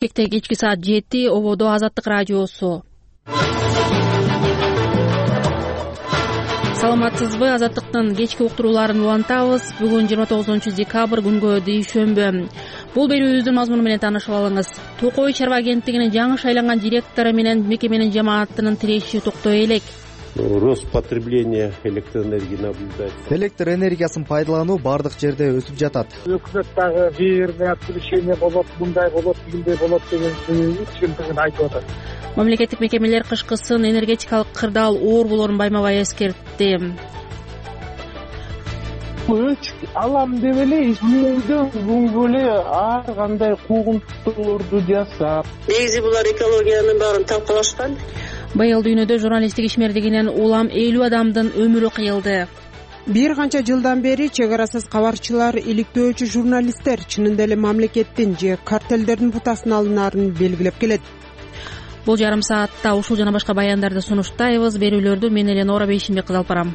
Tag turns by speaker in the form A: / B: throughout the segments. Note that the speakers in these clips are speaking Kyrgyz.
A: Кечки саат 7 ободо Азаттык радиосу. Саламатсызбы? Азаттыктын кечки уктурууларын улантабыз. Бүгүн 29 декабрь күнгө дүйшөмбү. Бул берүүбүздүн мазмуну менен таанышып алыңыз. Токой чарба агенттигинин жаңы шайланган директору менен мекеменин жамаатынын тиреши токтой элек.
B: Рост потребления электроэнергии наблюдается.
C: Электр энергиясын пайдалануу бардык жерде өсүп жатат.
D: Өкмөт дагы бир решение болот, мындай болот, тигиндей болот деген чындыгын айтып атат.
A: Мамлекеттик мекемелер кышкысын энергетикалык кырдаал оор болоорун байма-бай эскертти.
E: Алам деп эле үйдөн бүгүнгө эле ар кандай куугунтуктуулорду жасап.
F: Негизи булар экологиянын баарын талкалашкан.
A: Быйыл дүйнөдө журналисттик ишмердигинен улам 50 адамдын өмүрү кыйылды.
G: Бир канча жылдан бери чек арасыз кабарчылар, иликтөөчү журналисттер чынында эле мамлекеттин же картелдердин бутасын алынаарын белгилеп келет.
A: Бул жарым саатта ушул жана башка баяндарды сунуштайбыз. Берүүлөрдү мен Эленора Бейшимбек кызы алып барам.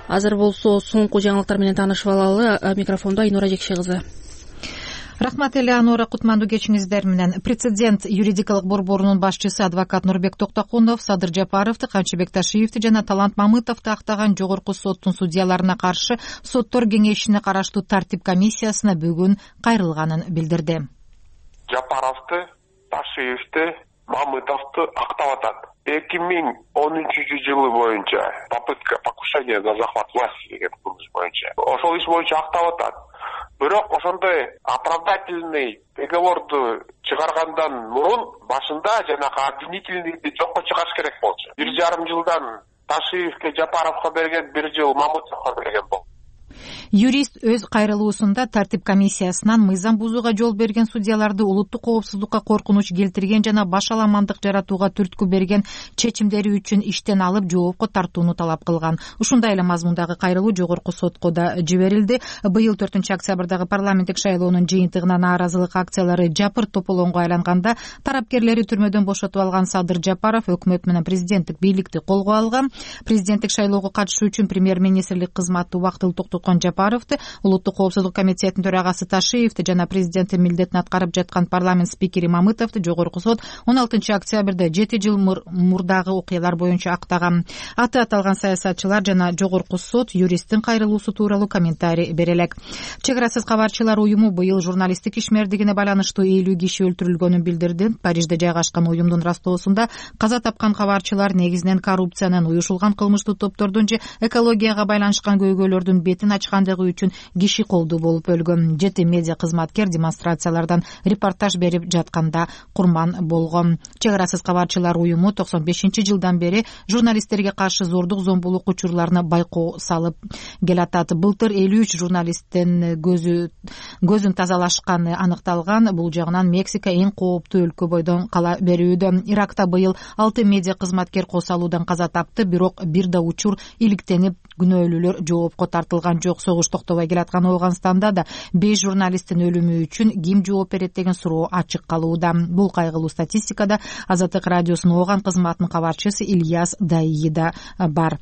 A: Азыр болсо соңку жаңылыктар менен таанышып алалы. Микрофондо Айнура Жекше кызы.
H: Рахмат Элеонора, кутмандуу кечиңиздер менен. Прецедент юридикалык борборунун башчысы адвокат Нурбек Токтокунов Садыр Жапаровду, Камчыбек Ташиевди жана Талант Мамытовду актаган жогорку соттун судьяларына каршы соттор кеңешине караштуу тартип комиссиясына бүгүн кайрылганын билдирди.
I: Жапаровду, Ташиевди, Мамытовду актап атат. 2013-жылы боюнча попытка покушения на захват власти деген кылмыш боюнча. Ошол иш боюнча актап атат. Бирок ошондой оправдательный приговорду чыгаргандан мурун башында жанагы обвинительныйды жокко чыгарыш керек болчу. 1,5 жылдан Ташиевке, Жапаровго берген, 1 жыл Мамытовго берген болду.
H: Юрист өз кайрылуусунда тартип комиссиясынан мыйзам бузууга жол берген судьяларды улуттук коопсуздукка коркунуч келтирген жана башаламандык жаратууга түрткү берген чечимдери үчүн иштен алып жоопко тартууну талап кылган. Ушундай эле мазмундагы кайрылуу жогорку сотко да жиберилди. Быйыл 4-октябрдагы парламенттик шайлоонун жыйынтыгына нааразылык акциялары жапырт тополоңго айланганда тарапкерлери түрмөдөн бошотуп алган Садыр Жапаров өкмөт менен президенттик бийликти колго алган. Президенттик шайлоого катышуу үчүн премьер-министрлик кызматы убактылуу токтоткон Жапаровду, улуттук коопсуздук комитетинин төрагасы Ташиевди жана президенттин милдетин аткарып жаткан парламент спикери Мамытовду жогорку сот 16 октябрда 7 жыл мурдагы окуялар боюнча актаган. Аты аталган саясатчылар жана жогорку сот юристтин кайрылуусу тууралуу комментарий бере элек. Чек арасыз кабарчылар уюму быйыл журналисттик ишмердигине байланыштуу 50 киши өлтүрүлгөнүн билдирди. Парижде жайгашкан уюмдун растоосунда каза тапкан кабарчылар негизинен коррупциянын, уюшулган кылмыштуу топтордун же экологияга байланышкан көйгөйлөрдүн бетин ачкандыгы үчүн киши колдуу болуп өлгөн. 7 медиа кызматкер демонстрациялардан репортаж берип жатканда курман болгон. Чек арасыз кабарчылар уюму 95-жылдан бери журналисттерге каршы зордук зомбулук учурларына байкоо салып келатат. Былтыр 53 журналисттин көзүн тазалашканы аныкталган. Бул жагынан Мексика эң кооптуу өлкө бойдон кала берүүдө. Иракта быйыл 6 медиа кызматкер кол салуудан каза тапты, бирок бир да учур иликтенип күнөөлүүлөр жоопко тартылган жок. Согуш токтобой келаткан Ооганстанда да 5 журналисттин өлүмү үчүн ким жооп берет деген суроо ачык калууда. Бул кайгылуу статистикада Азаттык радиосунун Ооган кызматынын кабарчысы Ильяс Даии да бар.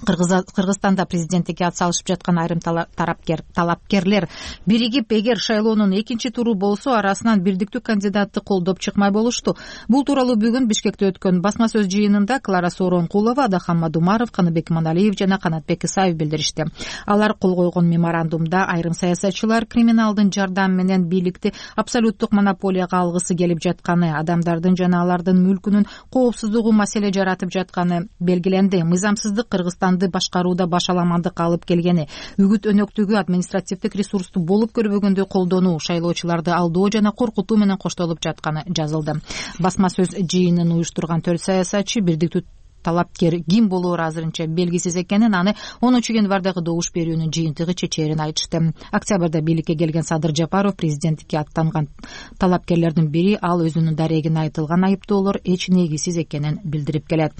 H: Кыргызстанда президенттикке ат салышып жаткан айрым талапкерлер биригип, эгер шайлоонун экинчи туру болсо, арасынан бирдиктүү кандидатты колдоп чыкмай болушту. Бул тууралуу бүгүн Бишкекте өткөн басма сөз жыйынында Клара Сооронкулова, Адахан Мадумаров, Каныбек Иманалиев жана Канатбек Исаев билдиришти. Алар кол койгон меморандумда айрым саясатчылар криминалдын жардамы менен бийликти абсолюттук монополияга алгысы келип жатканы, адамдардын жана алардын мүлкүнүн коопсуздугу маселе жаратып жатканы белгиленди. Мыйзамсыздык Кыргызстанды башкарууда башаламандык алып келгени, үгүт өнөктүгү административдик ресурсту болуп көрбөгөндөй колдонуу, шайлоочуларды алдоо жана коркутуу менен коштолуп жатканы жазылды. Басма сөз жыйынын уюштурган 4 саясатчы бирдиктүү талапкер ким болоору азырынча белгисиз экенин, аны 10-январдагы добуш берүүнүн жыйынтыгы чечерин айтышты. Октябрда бийликке келген Садыр Жапаров президенттикке аттанган талапкерлердин бири, ал өзүнүн дарегине айтылган айыптоолор эч негизсиз экенин билдирип келет.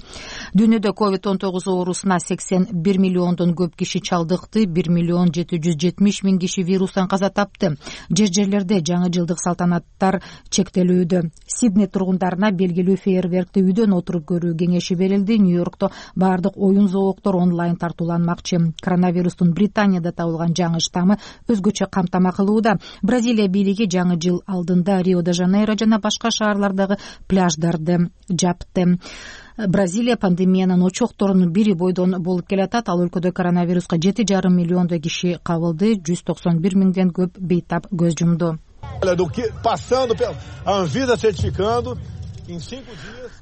H: Дүйнөдө COVID-19 оорусуна 81 миллиондон көп киши чалдыкты, 1,770,000 киши вирустан каза тапты. Жерлерде жаңы жылдык салтанаттар чектелүүдө. Сидней тургундарына белгилүү фейерверкти үйдөн отуруп көрүү кеңеши берилди. эле Нью-Йоркто баардык оюн зоологдор онлайн тартууланмакчы. Коронавирустун Британияда табылган жаңы штаммы өзгөчө камтама кылууда. Бразилия бийлиги жаңы жыл алдында Рио-де-Жанейро жана башка шаарлардагы пляждарды жапты. Бразилия пандемиянын очокторунун бири бойдон болуп келатат. Ал өлкөдө коронавируска 7,5 миллиондой киши кабылды, 191 миңден көп бейтап көз жумду.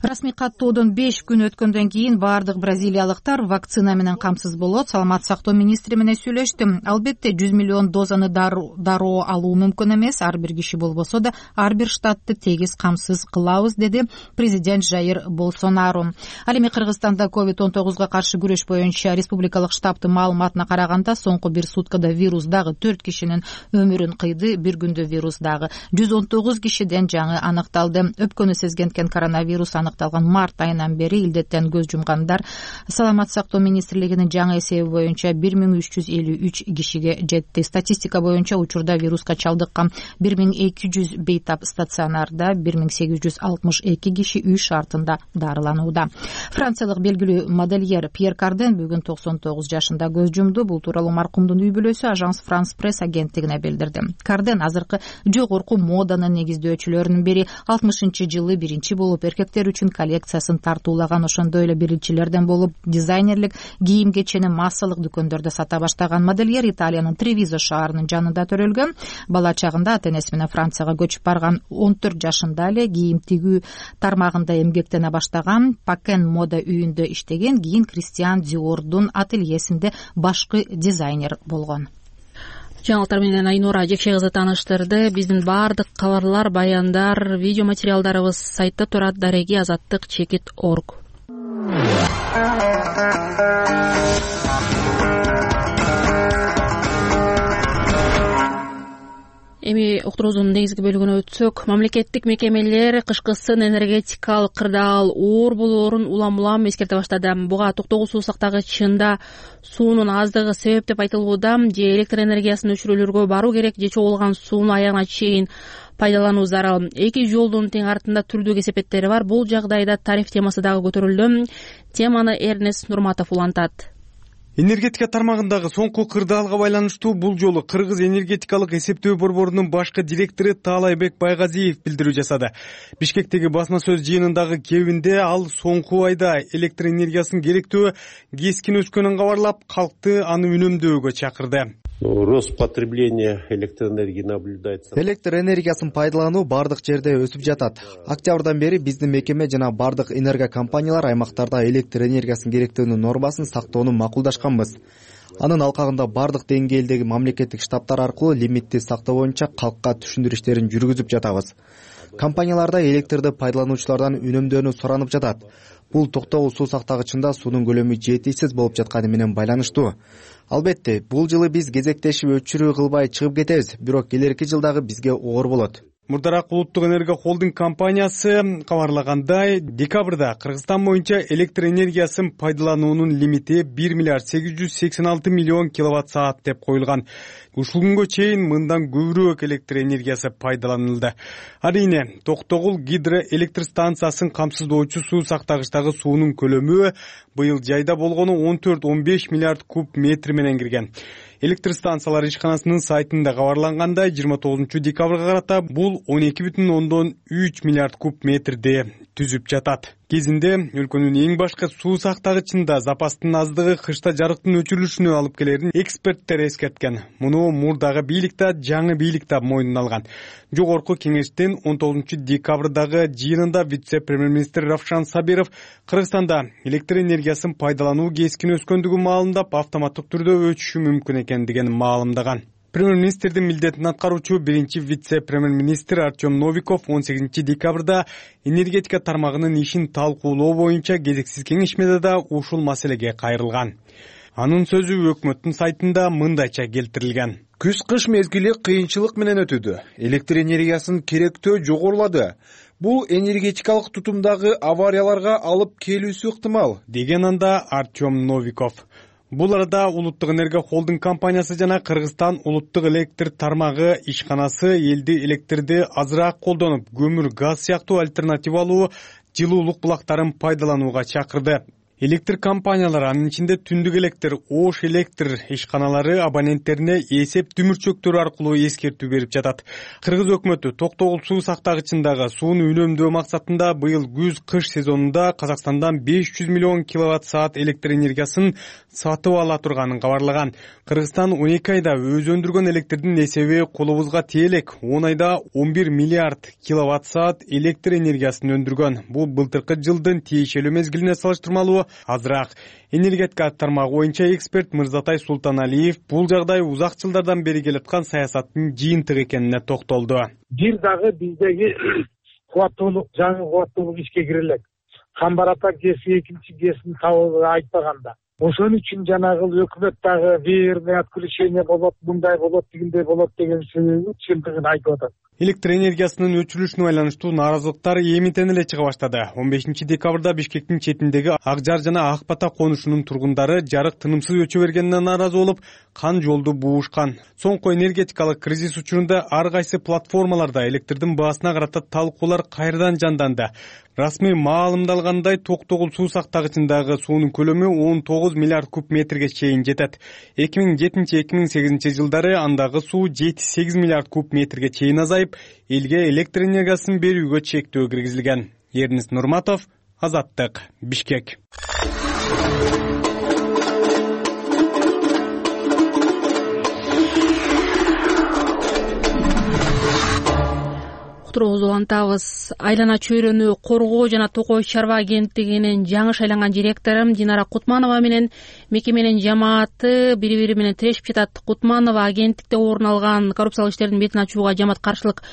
H: Расмий каттоодон 5 күн өткөндөн кийин баардык бразилиялыктар вакцина менен камсыз болот. Саламат сактоо министри менен сүйлөштүм. Албетте 100 миллион дозаны дароо алуу мүмкүн эмес. Ар бир киши болбосо да ар бир штатты тегиз камсыз кылабыз, деди президент Жаир Болсонару. Ал эми Кыргызстанда COVID-19 каршы күрөш боюнча республикалык штабтын маалыматына караганда соңку бир суткада вирус дагы 4 кишинин өмүрүн кыйды. Бир күндө вирус дагы 119 кишиден жаңы аныкталды. Өпкөнү сезгенткен коронавирус аныкталган март айынан бери илдеттен көз жумгандар Саламат сактоо министрлигинин жаңы эсеби боюнча 1353 кишиге жетти. Статистика боюнча учурда вируска чалдыккан 1200 бейтап стационарда, 1862 киши үй шартында дарыланууда. Франциялык белгилүү модельер Пьер Карден бүгүн 99 жашында көз жумду. Бул тууралуу маркумдун үй бүлөсү Ажанс Франс пресс агенттигине билдирди. Карден азыркы жогорку моданын негиздөөчүлөрүнүн бири. 60-жылы биринчи болуп эркектер үчүн коллекциясын тартуулаган, ошондой эле биринчилерден болуп дизайнерлик кийим кечени массалык дүкөндөрдө сата баштаган модельер Италиянын Тревизо шаарынын жанында төрөлгөн. Бала чагында ата-энеси менен Францияга көчүп барган. 14 жашында эле кийим тигүү тармагында эмгектене баштаган. Пакен мода үйүндө иштеген, кийин Кристиан Диордун ательесинде башкы дизайнер болгон.
A: Жаңылыктар менен Айнура Жекше кызы тааныштырды. Биздин баардык кабарлар, баяндар, видео материалдарыбыз сайтта турат: dareги-azаттык.org. Эми уктуруубуздун негизги бөлүгүнө өтсөк, мамлекеттик мекемелер кышкысын энергетикалык кырдаал оор болоорун улам эскерте баштады. Буга токтогул суу сактагычында суунун аздыгы себеп деп айтылууда. Же электр энергиясын өчүрүүлөргө баруу керек, же чогулган сууну аягына чейин пайдалануу зарыл. Эки жолдун тең артында түрдүү кесепеттери бар. Бул жагдайда тариф темасы дагы көтөрүлдү. Теманы Эрнест Нурматов улантат.
J: Энергетика тармагындагы соңку кырдаалга байланыштуу бул жолу Кыргыз энергетикалык эсептөө борборунун башкы директору Таалайбек Байгазиев билдирүү жасады. Бишкектеги басма сөз жыйынындагы кебинде ал соңку айда электр энергиясын керектөө кескин өскөнүн кабарлап, калкты аны үнөмдөөгө чакырды.
B: Рост потребления электроэнергии наблюдается.
C: Электр энергиясын пайдалануу бардык жерде өсүп жатат. Октябрдан бери биздин мекеме жана бардык энергокомпаниялар аймактарда электр энергиясын керектөөнүн нормасын сактоону макулдашканбыз. Анын алкагында бардык деңгээлдеги мамлекеттик штабтар аркылуу лимитти сактоо боюнча калкка түшүндүрүү иштерин жүргүзүп жатабыз. Компанияларда электрди пайдалануучулардан үнөмдөөнү суранып жатат. Бул токтогул суу сактагычында суунун көлөмү жетишсиз болуп жатканы менен байланыштуу. Албетте, бул жылы биз кезектешип өчүрүү кылбай чыгып кетебиз, бирок келерки жылдагы бизге оор болот.
J: Мурдараак Улуттук энерго холдинг компаниясы кабарлагандай, декабрда Кыргызстан боюнча электр энергиясын пайдалануунун лимити 1 миллиард 886 миллион киловатт саат деп коюлган. Ушул күнгө чейин мындан көбүрөөк электр энергиясы пайдаланылды. Арийне, Токтогул гидроэлектр станциясын камсыздоочу суу сактагычтагы суунун көлөмү быйыл жайда болгону 14-15 миллиард куб метр менен кирген. Электр станциялар ишканасынын сайтында кабарлангандай, 29 декабрга карата бул 12,3 миллиард куб метрди түзүп жатат. Кезинде өлкөнүн эң башкы суу сактагычында запастын аздыгы кышта жарыктын өчүрүлүшүнө алып келерин эксперттер эскерткен. Муну мурдагы бийлик да, жаңы бийлик да мойнуна алган. Жогорку кеңештин 19 декабрдагы жыйынында вице-премьер-министр Равшан Сабиров Кыргызстанда электр энергиясын пайдалануу кескин өскөндүгү маалында автоматтык түрдө өчүшү мүмкүн экендигин маалымдаган. Премьер-министрдин милдетин аткаруучу биринчи вице-премьер-министр Артем Новиков 18 декабрда энергетика тармагынын ишин талкуулоо боюнча кезексиз кеңешмеде да ушул маселеге кайрылган. Анын сөзү өкмөттүн сайтында мындайча келтирилген.
K: Күз-кыш мезгили кыйынчылык менен өтүүдө. Электр энергиясын керектөө жогорулады. Бул энергетикалык тутумдагы аварияларга алып келүүсү ыктымал,
J: деген анда Артем Новиков. Бул арада Улуттук энерго холдинг компаниясы жана Кыргызстан улуттук электр тармагы ишканасы элди электрди азыраак колдонуп, көмүр, газ сыяктуу альтернативалуу жылуулук булактарын пайдаланууга чакырды. Электр компаниялары, анын ичинде түндүк электр, Ош электр ишканалары абоненттерине эсеп дүмүрчөктөрү аркылуу эскертүү берип жатат. Кыргыз өкмөтү токтогул суу сактагычындагы сууну үнөмдөө максатында быйыл күз-кыш сезонунда Казакстандан 500 миллион киловатт-саат электр энергиясын сатып ала турганын кабарлаган. Кыргызстан 12 айда өзү өндүргөн электрдин эсеби колубузга тие элек 10 айда 11 миллиард киловатт-саат электр энергиясын өндүргөн. Бул былтыркы жылдын тиешелүү мезгилине салыштырмалуу азыраак. Энергетика тармагы боюнча эксперт Мырзатай Султаналиев бул жагдай узак жылдардан бери келаткан саясаттын жыйынтыгы экенине токтолду.
D: Бир дагы биздеги кубаттуулук, жаңы кубаттуулук ишке кире элек. Камбарата ГЭСи экинчи ГЭСин табып айтпаганда. Ошон үчүн жанагы өкмөт дагы верное отключение болот, мындай болот, тигиндей болот деген чындыгын айтып атат.
J: Электр энергиясынын өчүрүлүшүнө байланыштуу нааразылыктар эмитен эле чыга баштады. 15 декабрда Бишкектин четиндеги Ак Жар жана Ак Бата конушунун тургундары жарык тынымсыз өчө бергенине нааразы болуп, кан жолду буушкан. Соңку энергетикалык кризис учурунда ар кайсы платформаларда электрдин баасына карата талкуулар кайрадан жанданды. Расмий маалымдалгандай, Токтогул суу сактагычындагы суунун көлөмү 19 миллиард куб метрге чейин жетет. 2007-2008 жылдары андагы суу 7-8 миллиард куб метрге чейин азайып, элге электр энергиясын берүүгө чектөө киргизилген. Эрнис Нурматов, Азаттык, Бишкек.
A: Уктуруубузду улантабыз. Айлана чөйрөнү коргоо жана Токой чарба агенттигинин жаңы шайланган директору Динара Кутманова менен мекеменин жамааты бири-бири менен тирешип жатат. Кутманова агенттикте орун алган коррупциялык иштердин бетин ачууга жамаат каршылык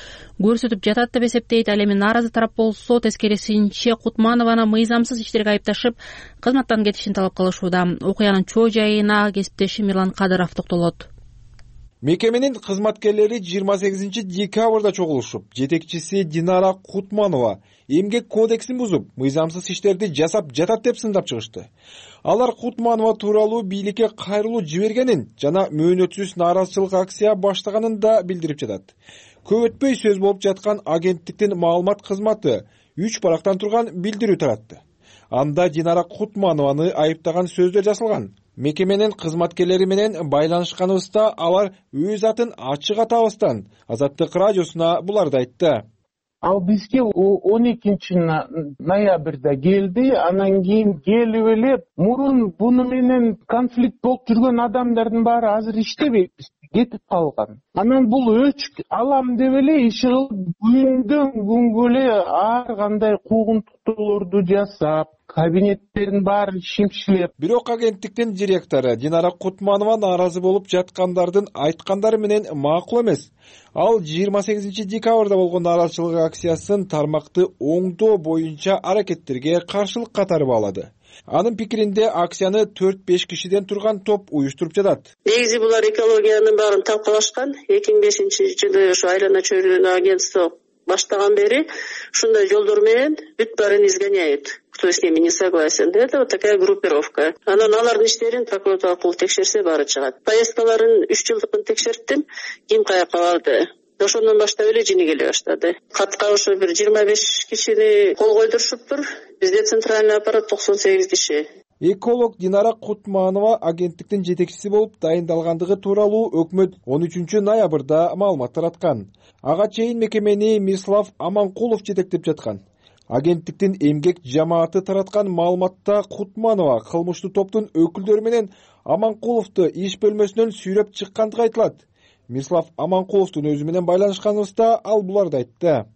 A: көрсөтүп жатат деп эсептейт. Ал эми нааразы тарап болсо, тескерисинче Кутманованы мыйзамсыз иштерге айыпташып, кызматтан кетишин талап кылышууда. Окуянын чоо жайына кесиптешим Мирлан Кадыров токтолот.
K: Мекеменин кызматкерлери 28 декабрда чогулушуп, жетекчиси Динара Кутманова эмгек кодексин бузуп, мыйзамсыз иштерди жасап жатат деп сындап чыгышты. Алар Кутманова тууралуу бийликке кайрылуу жибергенин жана мөөнөтсүз нааразычылык акция баштаганын да билдирип жатат. Көп өтпөй сөз болуп жаткан агенттиктин маалымат кызматы 3 барактан турган билдирүү таратты. Анда Динара Кутманованы айыптаган сөздөр жазылган. Мекеменин кызматкерлери менен байланышканыбызда алар өз атын ачык атабастан Азаттык радиосуна буларды айтты.
E: Ал бизге 12 ноябрда келди, анан кийин келип эле мурун буну менен конфликт болуп жүргөн адамдардын баары азыр иштебейт, кетип калган. Анан бул өчүк алам деп эле иш кылып, күндөн күнгө эле ар кандай куугунтуктуулорду жасап, кабинеттерин баарын шимшилеп.
K: Бирок агенттиктин директору Динара Кутманова нааразы болуп жаткандардын айткандары менен макул эмес. Ал 28 декабрда болгон нааразычылык акциясын тармакты оңдоо боюнча аракеттерге каршылык катары баалады. Анын пикиринде акцияны 4-5 кишиден турган топ уюштуруп жатат.
F: Негизи булар экологиянын баарын талкалашкан. 2005-жылы ошо айлана чөйрөнү агентство баштаган бери ушундай жолдор менен бүт баарын изгоняют. Кто с ними не согласен. Это вот такая группировка. Анан алардын иштерин прокуратура аркылуу текшерсе баары чыгат. Поездкаларын 3 жылдыкын текшерттим. Ким каяка барды? Ошондон баштап эле жини келе баштады. Катка ошо бир 25 кишини кол койдурушуптур. Бизде центральный аппарат 98 киши.
K: Эколог Динара Кутманова агенттиктин жетекчиси болуп дайындалгандыгы тууралуу өкмөт 13 ноябрда маалымат тараткан. Ага чейин мекемени Мирслав Аманкулов жетектеп жаткан. Агенттиктин эмгек жамааты тараткан маалыматта Кутманова кылмыштуу топтун өкүлдөрү менен Аманкуловду иш бөлмөсүнөн сүйрөп чыккандыгы айтылат. Мирслав Аманкуловдун өзү менен байланышканыбызда ал буларды айтты.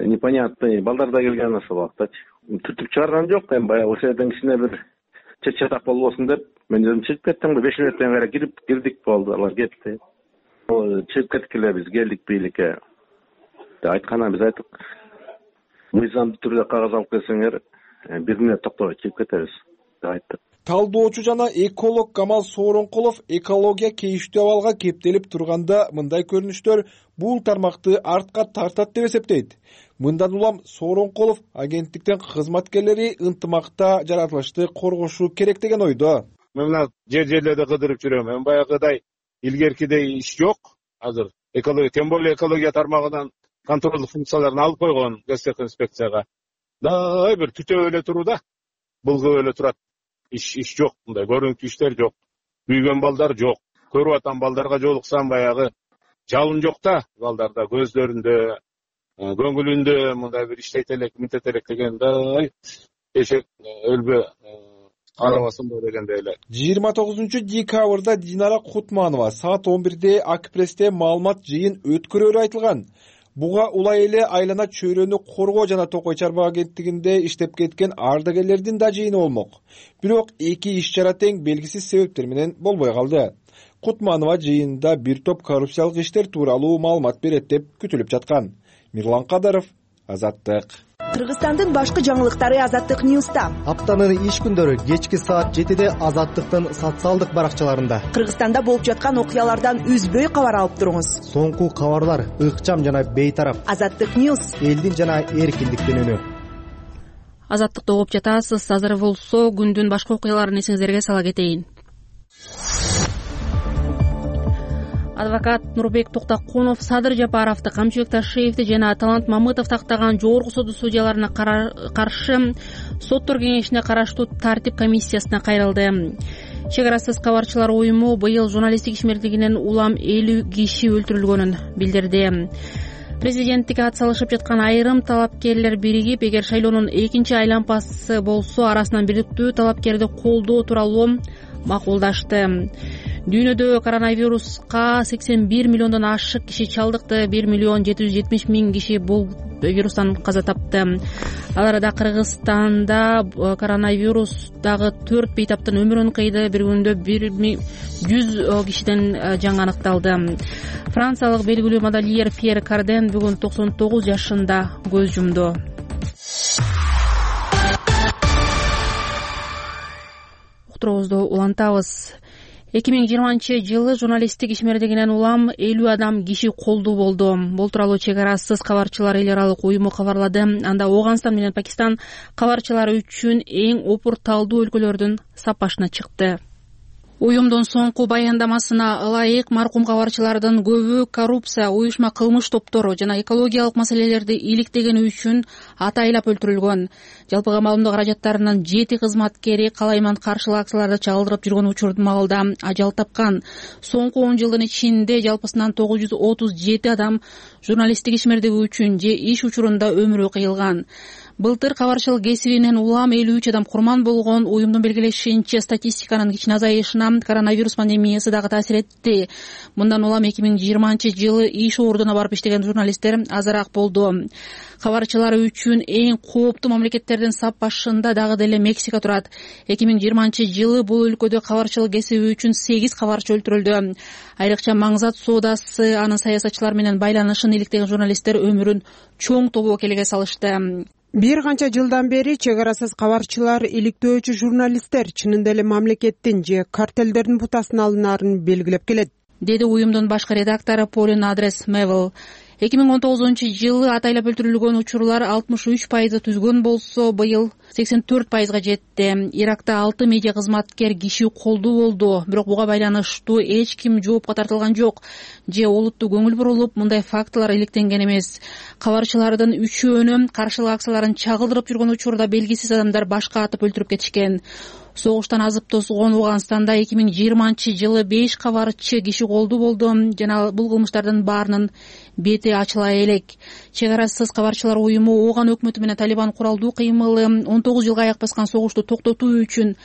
L: Непонятный балдар да келген ошол убакта. Түртүп чыгарган жок, эми баягы ошол жерден кичине бир чатак болбосун деп мен өзүм чыгып кеттим. 5 мүнөттөн кийин кирдик болду, алар кетти. Чыгып кеттик эле, биз келдик бийликке. Айтканын биз айттык. Мыйзамдуу түрдө кагаз алып келсеңер, 1 мүнөт токтогой чыгып кетебиз деп айттык.
K: Талдоочу жана эколог Камал Сооронкулов экология кейиштүү абалга кептелип турганда мындай көрүнүштөр бул тармакты артка тартат деп эсептейт. Мындан улам Сооронкулов агенттиктин кызматкерлери ынтымакта жаратылышты коргошу керек деген ойдо.
M: Мен мына жерлерде кыдырып жүрөм. Мен баягыдай илгеркидей иш жок азыр. Экология, тем более экология тармагынан контролдук функцияларын алып койгон Госинспекцияга. Дай бир түтөп эле туруу да, былгып эле турат. иш жок, мындай көрүнүктүү иштер жок, күйгөн балдар жок. Көрүп атам, балдарга жолуксам баягы жалын жок да балдарда, көздөрүндө, көңүлүндө мындай бир иштейт элек, мынтет элек дегенде эшек өлбө карабасынбы дегендей эле.
K: 29-декабрда Динара Кутманова саат 11-де Акпрессте маалымат жыйын өткөрөрү айтылган. Буга улай эле айлана чөйрөнү коргоо жана Токой чарба агенттигинде иштеп кеткен ардагерлердин да жыйыны болмок. Бирок эки иш-чара тең белгисиз себептер менен болбой калды. Кутманова жыйында бир топ коррупциялык иштер тууралуу маалымат берет деп күтүлүп жаткан. Мирлан Кадаров, Азаттык.
N: Кыргызстандын башкы жаңылыктары Азаттык Ньюста.
C: Аптанын иш күндөрү кечки саат 7-де Азаттыктын социалдык баракчаларында.
N: Кыргызстанда болуп жаткан окуялардан үзбөй кабар алып туруңуз.
C: Соңку кабарлар ыкчам жана бейтарап.
N: Азаттык Ньюс.
C: Элдин жана эркиндиктин үнү.
A: Азаттыкты угуп жатасыз. Азыр болсо күндүн башка окуяларын эсиңиздерге сала кетейин. Адвокат Нурбек Токтокунов Садыр Жапаровду, Камчыбек Ташиевди жана Талант Мамытов тактаган жогорку сот судьяларына каршы соттор кеңешине караштуу тартип комиссиясына кайрылды. Чек арасыз кабарчылар уюму быйыл журналисттик ишмердигинен улам 50 киши өлтүрүлгөнүн билдирди. Президенттикке ат салышып жаткан айрым талапкерлер биригип, эгер шайлоонун экинчи айлампасы болсо, арасынан бирдиктүү талапкерди колдоо тууралуу макулдашты. Дүйнөдө коронавируска 81 миллиондон ашык киши чалдыкты, 1 миллион 770 миң киши бул вирустан каза тапты. Ал арада Кыргызстанда коронавирус дагы 4 бейтаптын өмүрүн кыйды. Бир күндө 100 кишиден жаңы аныкталды. Франциялык белгилүү модельер Пьер Карден бүгүн 99 жашында көз жумду. Уктуруубузду улантабыз. 2020-жылы журналисттик ишмердигинен улам 50 адам киши колдуу болду. Бул тууралуу Чек арасыз кабарчылар эл аралык уюму кабарлады. Анда Ооганстан менен Пакистан кабарчылары үчүн эң опурталдуу өлкөлөрдүн сапашына чыкты. Уюмдун соңку баяндамасына ылайык маркум кабарчылардын көбү коррупция, уюшма кылмыш топтору жана экологиялык маселелерди иликтегени үчүн атайлап өлтүрүлгөн. Жалпыга маалымдоо каражаттарынын 7 кызматкери калайман каршылык акцияларды чагылдырып жүргөн учурдун маалда ажал тапкан. Соңку 10 жылдын ичинде жалпысынан 937 адам журналисттик ишмердиги үчүн же иш учурунда өмүрү кыйылган. Былтыр кабарчылык кесибинен улам 53 адам курман болгон. Уюмдун белгилешинче, статистиканын кичине азайышына коронавирус пандемиясы дагы таасир этти. Мындан улам 2020-жылы иш ордуна барып иштеген журналисттер азыраак болду. Кабарчылар үчүн эң кооптуу мамлекеттердин сап башында дагы деле Мексика турат. 2020-жылы бул өлкөдө кабарчылык кесиби үчүн 8 кабарчы өлтүрүлдү. Айрыкча маңзат соодасы, анын саясатчылар менен байланышын иликтеген журналисттер өмүрүн чоң тобокелге салышты.
G: Бир канча жылдан бери чек арасыз кабарчылар, иликтөөчү журналисттер чынында эле мамлекеттин же картелдердин бутасын алынаарын белгилеп келет,
A: деди уюмдун башкы редактору Полин Адрес Мевел. 2019-жылы атайлап өлтүрүлгөн учурлар 63% түзгөн болсо, быйыл 84%га жетти. Иракта 6 медиа кызматкер киши колдуу болду, бирок буга байланыштуу эч ким жоопко тартылган жок. Же олуттуу көңүл бурулуп, мындай фактылар иликтенген эмес. Кабарчылардын үчөөнү каршылык акцияларын чагылдырып жүргөн учурда белгисиз адамдар башка атып өлтүрүп кетишкен. Согуштан азып тозгон Ооганстанда 2020-жылы 5 кабарчы киши колдуу болду жана бул кылмыштардын баарынын бети ачыла элек. Чек арасыз кабарчылар уюму Ооган өкмөтү менен Талибан куралдуу кыймылы 19 жылга аяк баскан согушту токтотуу үчүн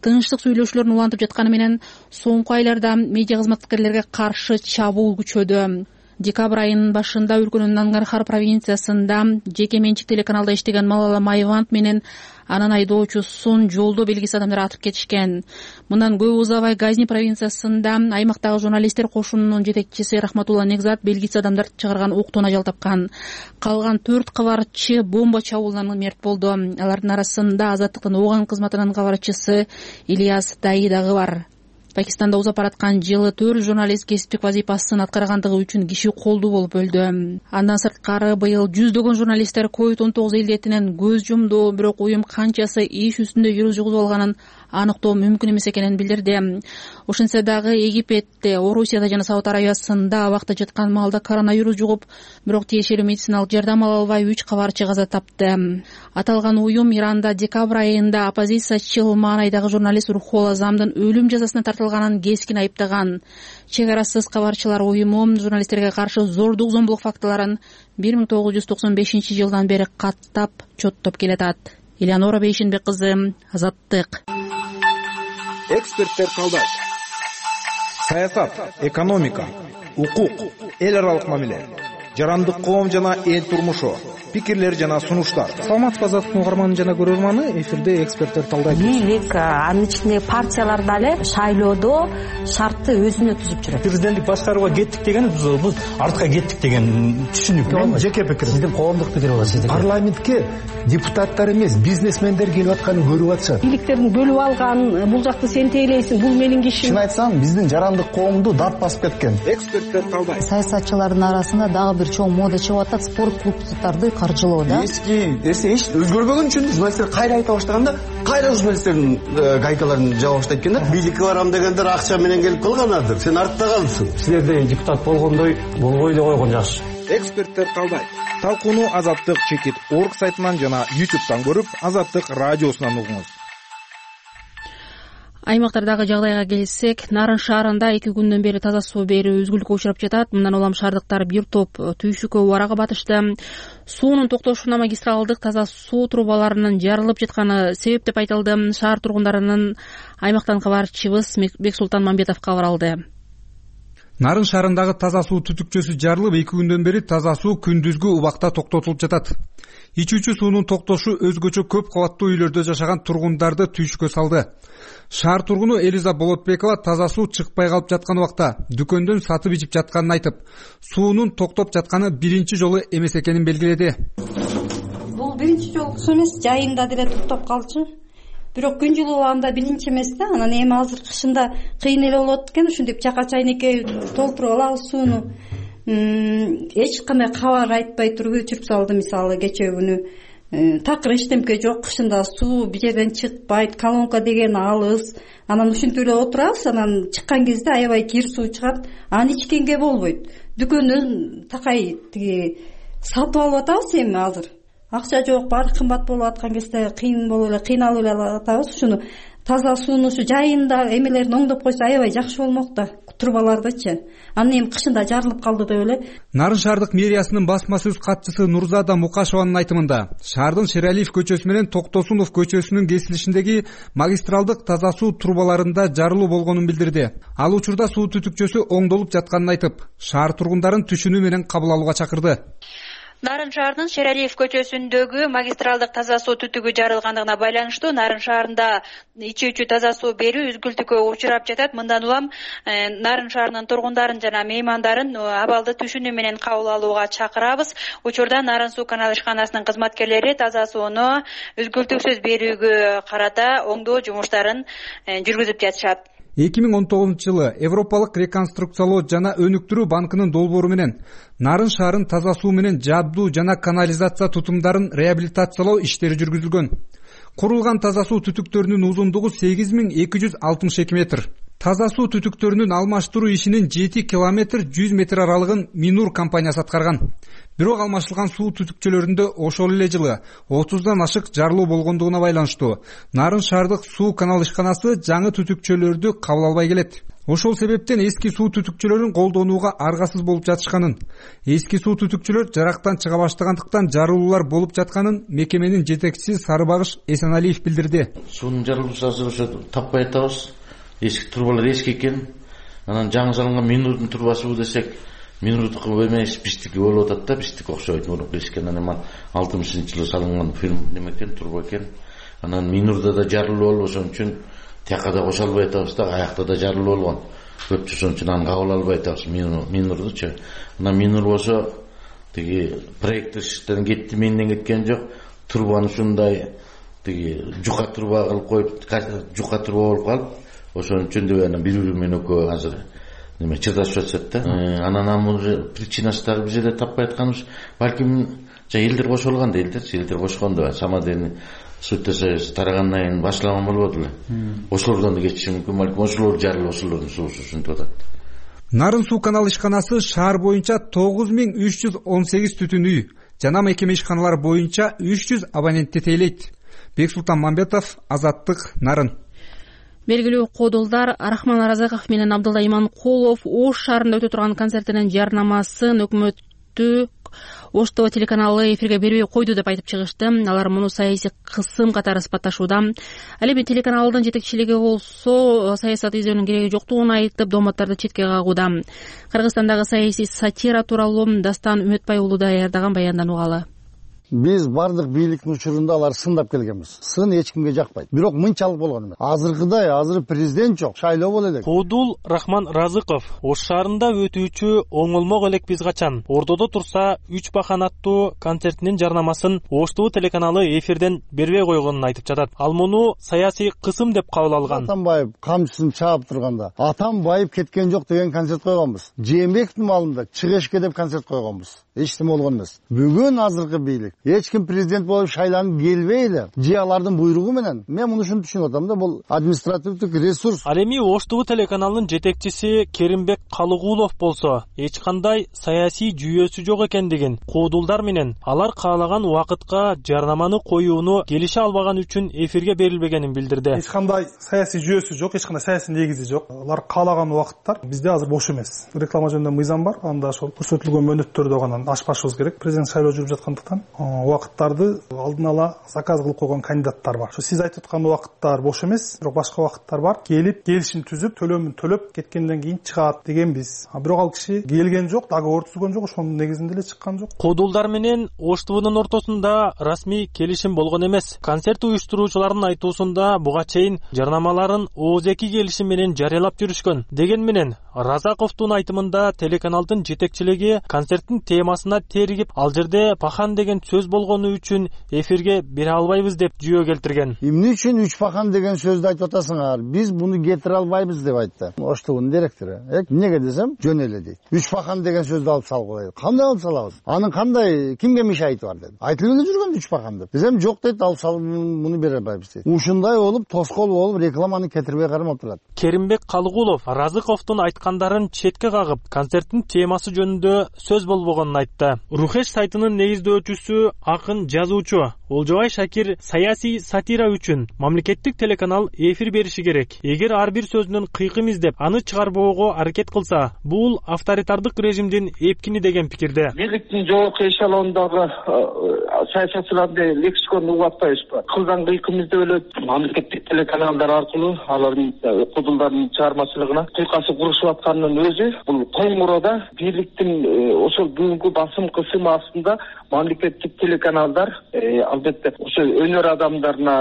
A: тынчтык сүйлөшүүлөрүн улантып жатканы менен соңку айларда медиа кызматкерлерге каршы чабуул күчөдү. Декабрь айынын башында өлкөнүн Нангархар провинциясында жеке менчик телеканалда иштеген Малала Майвант менен анын айдоочусун жолдо белгисиз адамдар атып кетишкен. Мындан көп узабай Газни провинциясында аймактагы журналисттер кошунунун жетекчиси Рахматулла Негзат белгисиз адамдар чыгарган октон ажал тапкан. Калган 4 кабарчы бомба чабуулунан мерт болду. Алардын арасында Азаттыктын Ооган кызматынын кабарчысы Ильяс Даи дагы бар. Пакистанда узап бараткан жылы 4 журналист кесиптик вазифасын аткаргандыгы үчүн киши колдуу болуп өлдү. Андан сырткары быйыл жүздөгөн журналисттер COVID-19 илдетинен көз жумду, бирок уюм канчасы иш үстүндө вирус жугузуп алганын аныктоо мүмкүн эмес экенин билдирди. Ошентсе дагы Египетте, Орусияда жана Сауд Арабиясында абакта жаткан маалда коронавирус жугуп, бирок тиешелүү медициналык жардам ала албай 3 кабарчы каза тапты. Аталган уюм Иранда декабрь айында оппозициячыл маанайдагы журналист Рухол Азамдын өлүм жазасына тартылганын кескин айыптаган. Чек арасыз кабарчылар уюму журналисттерге каршы зордук зомбулук фактыларын 1995-жылдан бери каттап чоттоп келатат. Элеонора Бейшенбек кызы, Азаттык.
K: Эксперттер талдайт. Саясат, экономика, укук, эл аралык мамиле, жарандык коом жана эл турмушу, пикирлер жана сунуштар.
O: Саламатсызбы, Азаттыктын угарманы жана көрөрманы, эфирде эксперттер талдайт.
P: Бийлик, анын ичинде партиялар дагы шайлоодо шартты өзүнө түзүп жүрөт.
O: Президенттик башкарууга кеттик деген бул артка кеттик деген түшүнүк. Мен жеке пикирим. Сиздин коомдук пикир болот. Сиздин парламентке депутаттар эмес, бизнесмендер келип атканын көрүп атышат.
P: Бийликтерин бөлүп алган, бул жакты сен тейлейсиң, бул менин кишим.
O: Чын айтсам, биздин жарандык коомду дат басып кеткен.
K: Эксперттер талдайт.
Q: Саясатчылардын арасында дагы бир чоң мода чыгып атат, спорт клубдарды каржылоо да.
O: Эски эч өзгөрбөгөн үчүн журналисттер кайра айта баштаганда, кайра журналисттердин гайкаларын жаба баштайт экен да.
R: Бийликке барам дегендер акча менен келип калганадыр. Сен артта калдың.
O: Силерде депутат болгондой болбой эле койгон жакшы.
K: Эксперттер талдайт. Талкууну Азаттык чекит орг сайтынан жана YouTube'дан көрүп, Азаттык радиосунан угуңуз.
A: Аймактардагы жагдайга келсек, Нарын шаарында 2 күндөн бери таза суу берүү үзгүлүккө учурап жатат. Мындан улам шаардыктар бир топ түйшүккө убарага батышты. Суунун токтошуна магистралдык таза суу трубаларынын жарылып жатканы себеп деп айтылды. Шаар тургундарынын аймактан кабарчыбыз Бексултан Мамбетов кабар алды.
S: Нарын шаарындагы таза суу түтүкчөсү жарылып, 2 күндөн бери таза суу күндүзгү убакта токтотулуп жатат. Ичүүчү суунун токтошу өзгөчө көп кабаттуу үйлөрдө жашаган тургундарды түйшүккө салды. Шаар тургуну Элиза Болотбекова таза суу чыкпай калып жаткан убакта дүкөндөн сатып ичип жатканын айтып, суунун токтоп жатканы биринчи жолу эмес экенин белгиледи.
T: Бул биринчи жолу эмес, жайында деле токтоп калчу. Бирок күн жылууланда биринчи эмес да, анан эми азыр кышында кыйын эле болот экен, ушинтип чака чайнекке толтуруп алабыз сууну. Эч кандай кабар айтпай туруп өчүрүп салды, мисалы кечээ күнү. Такыр эчтемке жок, кышында суу бир жерден чыкпайт, колонка деген алыс. Анан ушинтип эле отурабыз, анан чыккан кезде аябай кир суу чыгат, аны ичкенге болбойт. Дүкөндөн такай тиги сатып алып атабыз эми азыр. Акча жок, баары кымбат болуп аткан кезде кыйналып эле атабыз. Ушуну таза сууну ушу жайында эмелерин оңдоп койсо аябай жакшы болмок да, трубалардычы. Анын эми кышында жарылып калды деп эле.
S: Нарын шаардык мэриясынын басма сөз катчысы Нурзада Мукашеванын айтымында, шаардын Шералиев көчөсү менен Токтосунов көчөсүнүн кесилишиндеги магистралдык таза суу трубаларында жарылуу болгонун билдирди. Ал учурда суу түтүкчөсү оңдолуп жатканын айтып, шаар тургундарын түшүнүү менен кабыл алууга чакырды.
U: Нарын шаарынын Шералиев көчөсүндөгү магистралдык таза суу түтүгү жарылгандыгына байланыштуу Нарын шаарында ичүүчү таза суу берүү үзгүлтүккө учурап жатат. Мындан улам Нарын шаарынын тургундарын жана меймандарын абалды түшүнүү менен кабыл алууга чакырабыз. Учурда Нарын суу канал ишканасынын кызматкерлери таза сууну үзгүлтүксүз берүүгө карата оңдоо жумуштарын жүргүзүп жатышат.
S: 2019-жылы Европалык реконструкциялоо жана өнүктүрүү банкынын долбоору менен Нарын шаарын таза суу менен жабдуу жана канализация тутумдарын реабилитациялоо иштери жүргүзүлгөн. Курулган таза суу түтүктөрүнүн узундугу 8262 метр. Таза суу түтүктөрүнүн алмаштыруу ишинин 7 километр 100 метр аралыгын Минур компаниясы аткарган. Бирок алмашылган суу түтүкчөлөрүндө ошол эле жылы 30дан ашык жарылуу болгондугуна байланыштуу Нарын шаардык суу канал ишканасы жаңы түтүкчөлөрдү кабыл албай келет. Ошол себептен эски суу түтүкчөлөрүн колдонууга аргасыз болуп жатышканын, эски суу түтүкчөлөр жарактан чыга баштагандыктан жарылуулар болуп жатканын мекеменин жетекчиси Сарыбагыш Эсеналиев билдирди.
V: Суунун жарылуусу азыр ошо таппай атабыз. Эски трубалар эски экен. Анан жаңы салынган Минурдун трубасы десек, Минурдук эмес биздики болуп атат да, биздики окшойт. Мурунку эски анан 60-жылы салынган фирма неме экен, труба экен. Анан Минурда да жарылуу болуп, ошон үчүн тияка да кошо албай атабыз да, аякта да жарылуу болгон. Көпчү ошон үчүн аны кабыл албай атабыз Минурдучу. Анан Минур болсо тиги проекттен кетти, менден кеткен жок. Трубаны ушундай тиги жука труба кылып коюп, жука труба болуп калып, ошон үчүн деп анан бири менен экөө азыр неме чырдашып жатышат да. Анан причинасы дагы биз эле таппай атканыбыз балким элдер кошулган да, элдер кошкондо самодельный сутта союз тарагандан кийин башлаган болбоду эле. Ошолордон да кетиши мүмкүн, балким ошолор жарылып ошолордун суусу ушинтип атат.
S: Нарын суу канал ишканасы шаар боюнча 9318 түтүн үй жана мекеме ишканалары боюнча 300 абонентти тейлейт. Бексултан Мамбетов, Азаттык, Нарын.
A: Белгилүү кодулдар Рахман Аразаков менен Абдулла Иманкулов Ош шаарында өтө турган концертинин жарнамасын өкмөттүк Ош ТВ телеканалы эфирге бербей койду деп айтып чыгышты. Алар муну саясий кысым катары сыпатташууда. Ал эми телеканалдын жетекчилиги болсо саясат издөөнүн кереги жоктугун айтып, дооматтарды четке кагууда. Кыргызстандагы саясий сатира тууралуу Дастан Үмөтбай уулу даярдаган баяндан угалы.
R: Биз бардык бийликтин учурунда алар сындап келгенбиз. Сын эч кимге жакпайт. Бирок мынчалык болгон эмес. Азыр президент жок, шайлоо боло элек.
H: Кодул Рахман Разыков Ош шаарында өтүүчү оңолмок элекпиз качан ордодо турса 3 бахан аттуу концертинин жарнамасын Ош ТВ телеканалы эфирден бербей койгонун айтып жатат. Ал муну саясий кысым деп кабыл алган.
R: Атамбаев камчысын чаап турганда Атамбаев кеткен жок деген концерт койгонбуз. Жээнбековдун малында чыгышке деп концерт койгонбуз. Эч нерсе болгон эмес. Бүгүн азыркы бийлик эч ким президент болуп шайланып келбей эле же алардын буйругу менен мен муну ушинтип түшүнүп атам да, бул административдик ресурс.
H: Ал эми Ош ТВ телеканалынын жетекчиси Керимбек Калыгулов болсо эч кандай саясий жүйөсү жок экендигин, кодулдар менен алар каалаган убакытка жарнаманы коюуну келише албаган үчүн эфирге берилбегенин билдирди.
I: Эч кандай саясий жүйөсү жок, эч кандай саясий негизи жок. Алар каалаган убакыттар бизде азыр бош эмес. Реклама жөнүндө мыйзам бар, анда ошол көрсөтүлгөн мөөнөттөрдө гана ашпашыбыз керек. Президент шайлоо жүрүп жаткандыктан убакыттарды алдын ала заказ кылып койгон кандидаттар бар. Ошо сиз айтып аткан убакыттар бош эмес, бирок башка убакыттар бар. Келип, келишим түзүп, төлөмүн төлөп кеткенден кийин чыгат дегенбиз. Бирок ал киши келген жок, договор түзгөн жок, ошонун негизинде эле чыккан жок.
H: Кодулдар менен Ош ТВнын ортосунда расмий келишим болгон эмес. Концерт уюштуруучулардын айтуусунда буга чейин жарнамаларын ооз-2 келишим менен жарыялап жүрүшкөн. Деген менен Разаковдун айтымында телеканалдын жетекчилиги концерттин темасына теригип, ал жерде пахан деген сөз болгону үчүн эфирге бере албайбыз деп жүйө келтирген.
R: Эмне үчүн 3 пахан деген сөздү айтып атасыңар? Биз муну кетире албайбыз деп айтты. Ош ТВнын директору. Эмнеге десем, жөн эле дейт. 3 пахан деген сөздү алып салып коелу. Кандай алып салабыз? Анын кандай кимге мишайты бар деди. Айтылып эле жүргөн 3 пахан деп. Десем, жок дейт, алып салып муну бере албайбыз дейт. Ушундай болуп, тоскоол болуп, рекламаны кетирбей кармап турат.
H: Керимбек Калыгулов Разыковдун айткандарын четке кагып, концерттин темасы жөнүндө сөз болбогонун айтты. Рухеш сайтынын негиздөөчүсү, акын, жазуучу Олжобай Шакир саясий сатира үчүн мамлекеттик телеканал эфир бериши керек. Эгер ар бир сөзүнөн кыйкым издеп, аны чыгарбоого аракет кылса, бул авторитардык режимдин эпкини деген пикирде.
W: Бийликтин жогорку эшелондогу саясатчыларды лексиконду угуп атпайбызбы? Кылган кыйкым издеп эле мамлекеттик телеканалдар аркылуу алардын кодулдардын чыгармачылыгына кыйкасы курушуп атканынын өзү бул коңуроодо бийликтин ошол бүгүнкү басым кысымы астында мамлекеттик телеканалдар албетте ошо өнөр адамдарына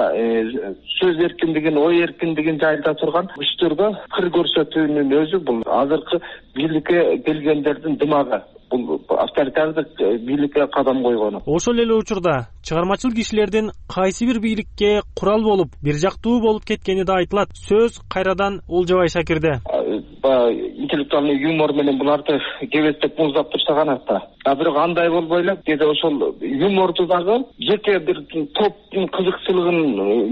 W: сөз эркиндигин, ой эркиндигин жайылта турган күчтөргө кыр көрсөтүүнүн өзү бул азыркы бийликке келгендердин дымагы. Бул авторитардык бийликке кадам койгону.
H: Ошол эле учурда чыгармачыл кишилердин кайсы бир бийликке курал болуп, бир жактуу болуп кеткени да айтылат. Сөз кайрадан Олжобай Шакирде.
W: Интеллектуальный юмор менен буларды кебестеп муздап турса канатта. Бирок андай болбой эле, деди ошол юморду дагы жеке бир топтун кызыкчылыгын,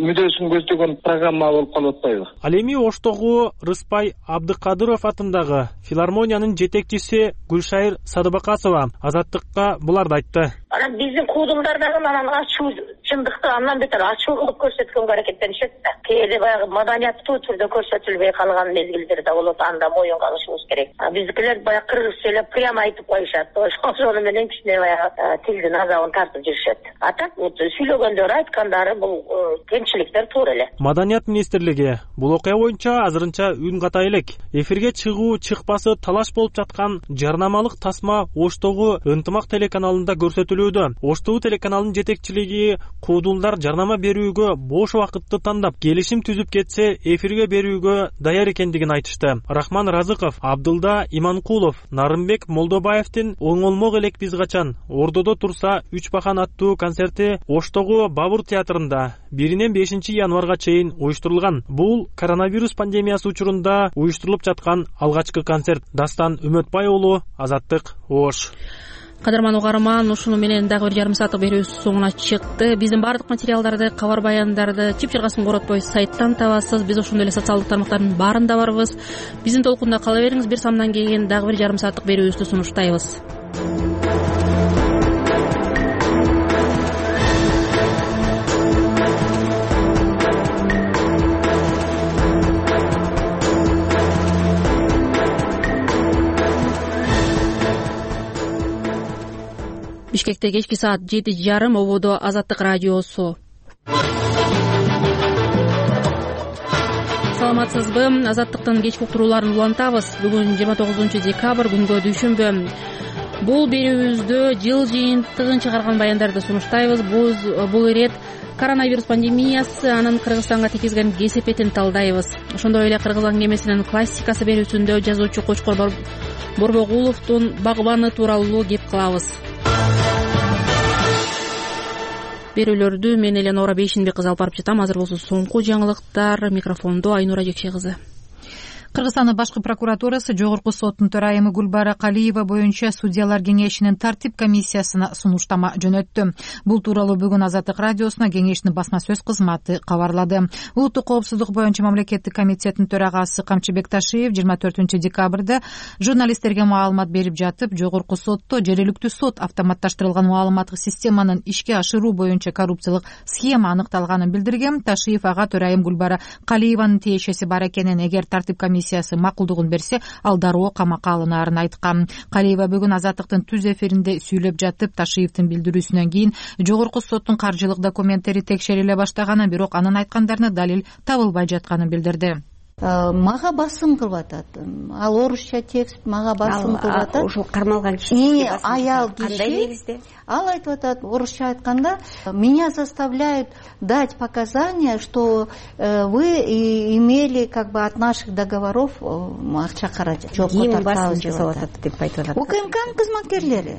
W: мүдөөсүн көздөгөн программа болуп калып атпайбы?
H: Ал эми Оштогу Рыспай Абдыкадыров атындагы филармониянын жетекчиси Гүлшайыр Садыбакасова Азаттыкка буларды айтты.
X: Анан биздин кодулдар дагы анан ачуу чындыкты андан бетер ачуу кылып көрсөткөнгө аракеттенишет да. Кээде баягы маданияттуу түрдө көрсөтүлбөй калган мезгилдер да болот, анда моюнга алышыбыз керек. Биздикилер баягы кыргызча эле прямо айтып коюшат. Ошону менен кичине баягы тилдин азабын тартып жүрүшөт. А так сүйлөгөндөрү, айткандары бул кемчиликтер туура эле.
H: Маданият министрлиги бул окуя боюнча азырынча үн катай элек. Эфирге чыгуу чыкпасы талаш болуп жаткан жарнамалык тасма Оштогу Ынтымак телеканалында көрсөтүлүүдө. Ош ТВ телеканалынын жетекчилиги куудулдар жарнама берүүгө бош убакытты тандап келишим түзүп кетсе эфирге берүүгө даяр экендигин айтышты. Рахман Разыков, Абдылда Иманкулов, Нарымбек Молдобаевдин «Оңолмок элек биз качан, Ордодо турса 3 бахан» аттуу концерти Оштогу Бабур театрында 1-5 январга чейин уюштурулган. Бул коронавирус пандемиясы учурунда уюштурулуп жаткан алгачкы концерт. Дастан Үмөтбай уулу, Азаттык, Ош.
A: Кадырман угарман, ушуну менен дагы 1,5 сааттык берүүбүз соңуна чыкты. Биздин баардык материалдарды, кабар баяндарды чып-чыргасын коротпой сайттан табасыз. Биз ошондой эле социалдык тармактардын баарында барбыз. Биздин толкунда кала бериңиз. 1 самдан кийин дагы 1,5 сааттык берүүбүздү сунуштайбыз. Бишкекте кечки саат 7:30 ободо Азаттык радиосу. Саламатсызбы? Азаттыктын кечки уктурууларын улантабыз. Бүгүн 29 декабрь, күнгө дүйшөмбү. Бул берүүбүздө жыл жыйынтыгын чыгарган баяндарды сунуштайбыз. Бул ирет коронавирус пандемиясы анын Кыргызстанга тийгизген кесепетин талдайбыз. Ошондой эле Кыргыз аңгемесинин классикасы берүүсүндө жазуучу Кочкор Борбогуловдун Багбаны тууралуу кеп кылабыз. Берүүлөрдү мен Эленора Бейшинбек кызы алып барып жатам. Азыр болсо соңку жаңылыктар. Микрофондо Айнура Жекше кызы.
B: Кыргызстандын башкы прокуратурасы Жогорку соттун төрайымы Гүлбара Калиева боюнча судьялар кеңешинин тартип комиссиясына сунуштама жөнөттү. Бул тууралуу бүгүн Азаттык радиосуна кеңештин басма сөз кызматы кабарлады. Улуттук коопсуздук боюнча мамлекеттик комитеттин төрагасы Камчыбек Ташиев 24 декабрда журналисттерге маалымат берип жатып, Жогорку сотто жергиликтүү сот автоматташтырылган маалыматтык системанын ишке ашыруу боюнча коррупциялык схема аныкталганын билдирген. Ташиев ага төрайым Гүлбара Калиеванын тиешеси бар экенин, эгер тартип комиссиясы макулдугун берсе, ал дароо камакка алынаарын айткан. Калиева бүгүн Азаттыктын түз эфиринде сүйлөп жатып, Ташиевдин билдирүүсүнөн кийин Жогорку соттун каржылык документтери текшериле баштаганын, бирок анын айткандарына далил табылбай жатканын билдирди.
D: Мага басым кылып атат. Ал орусча текст мага басым кылып атат.
E: Ошол кармалган киши
D: аял кандай негизде? Ал айтып атат, орусча айтканда, меня заставляют дать показания, что вы имели как бы от наших договоров акча каражат.
E: Ким басым жасап атат деп айтып атат.
D: УКМКнын кызматкерлери.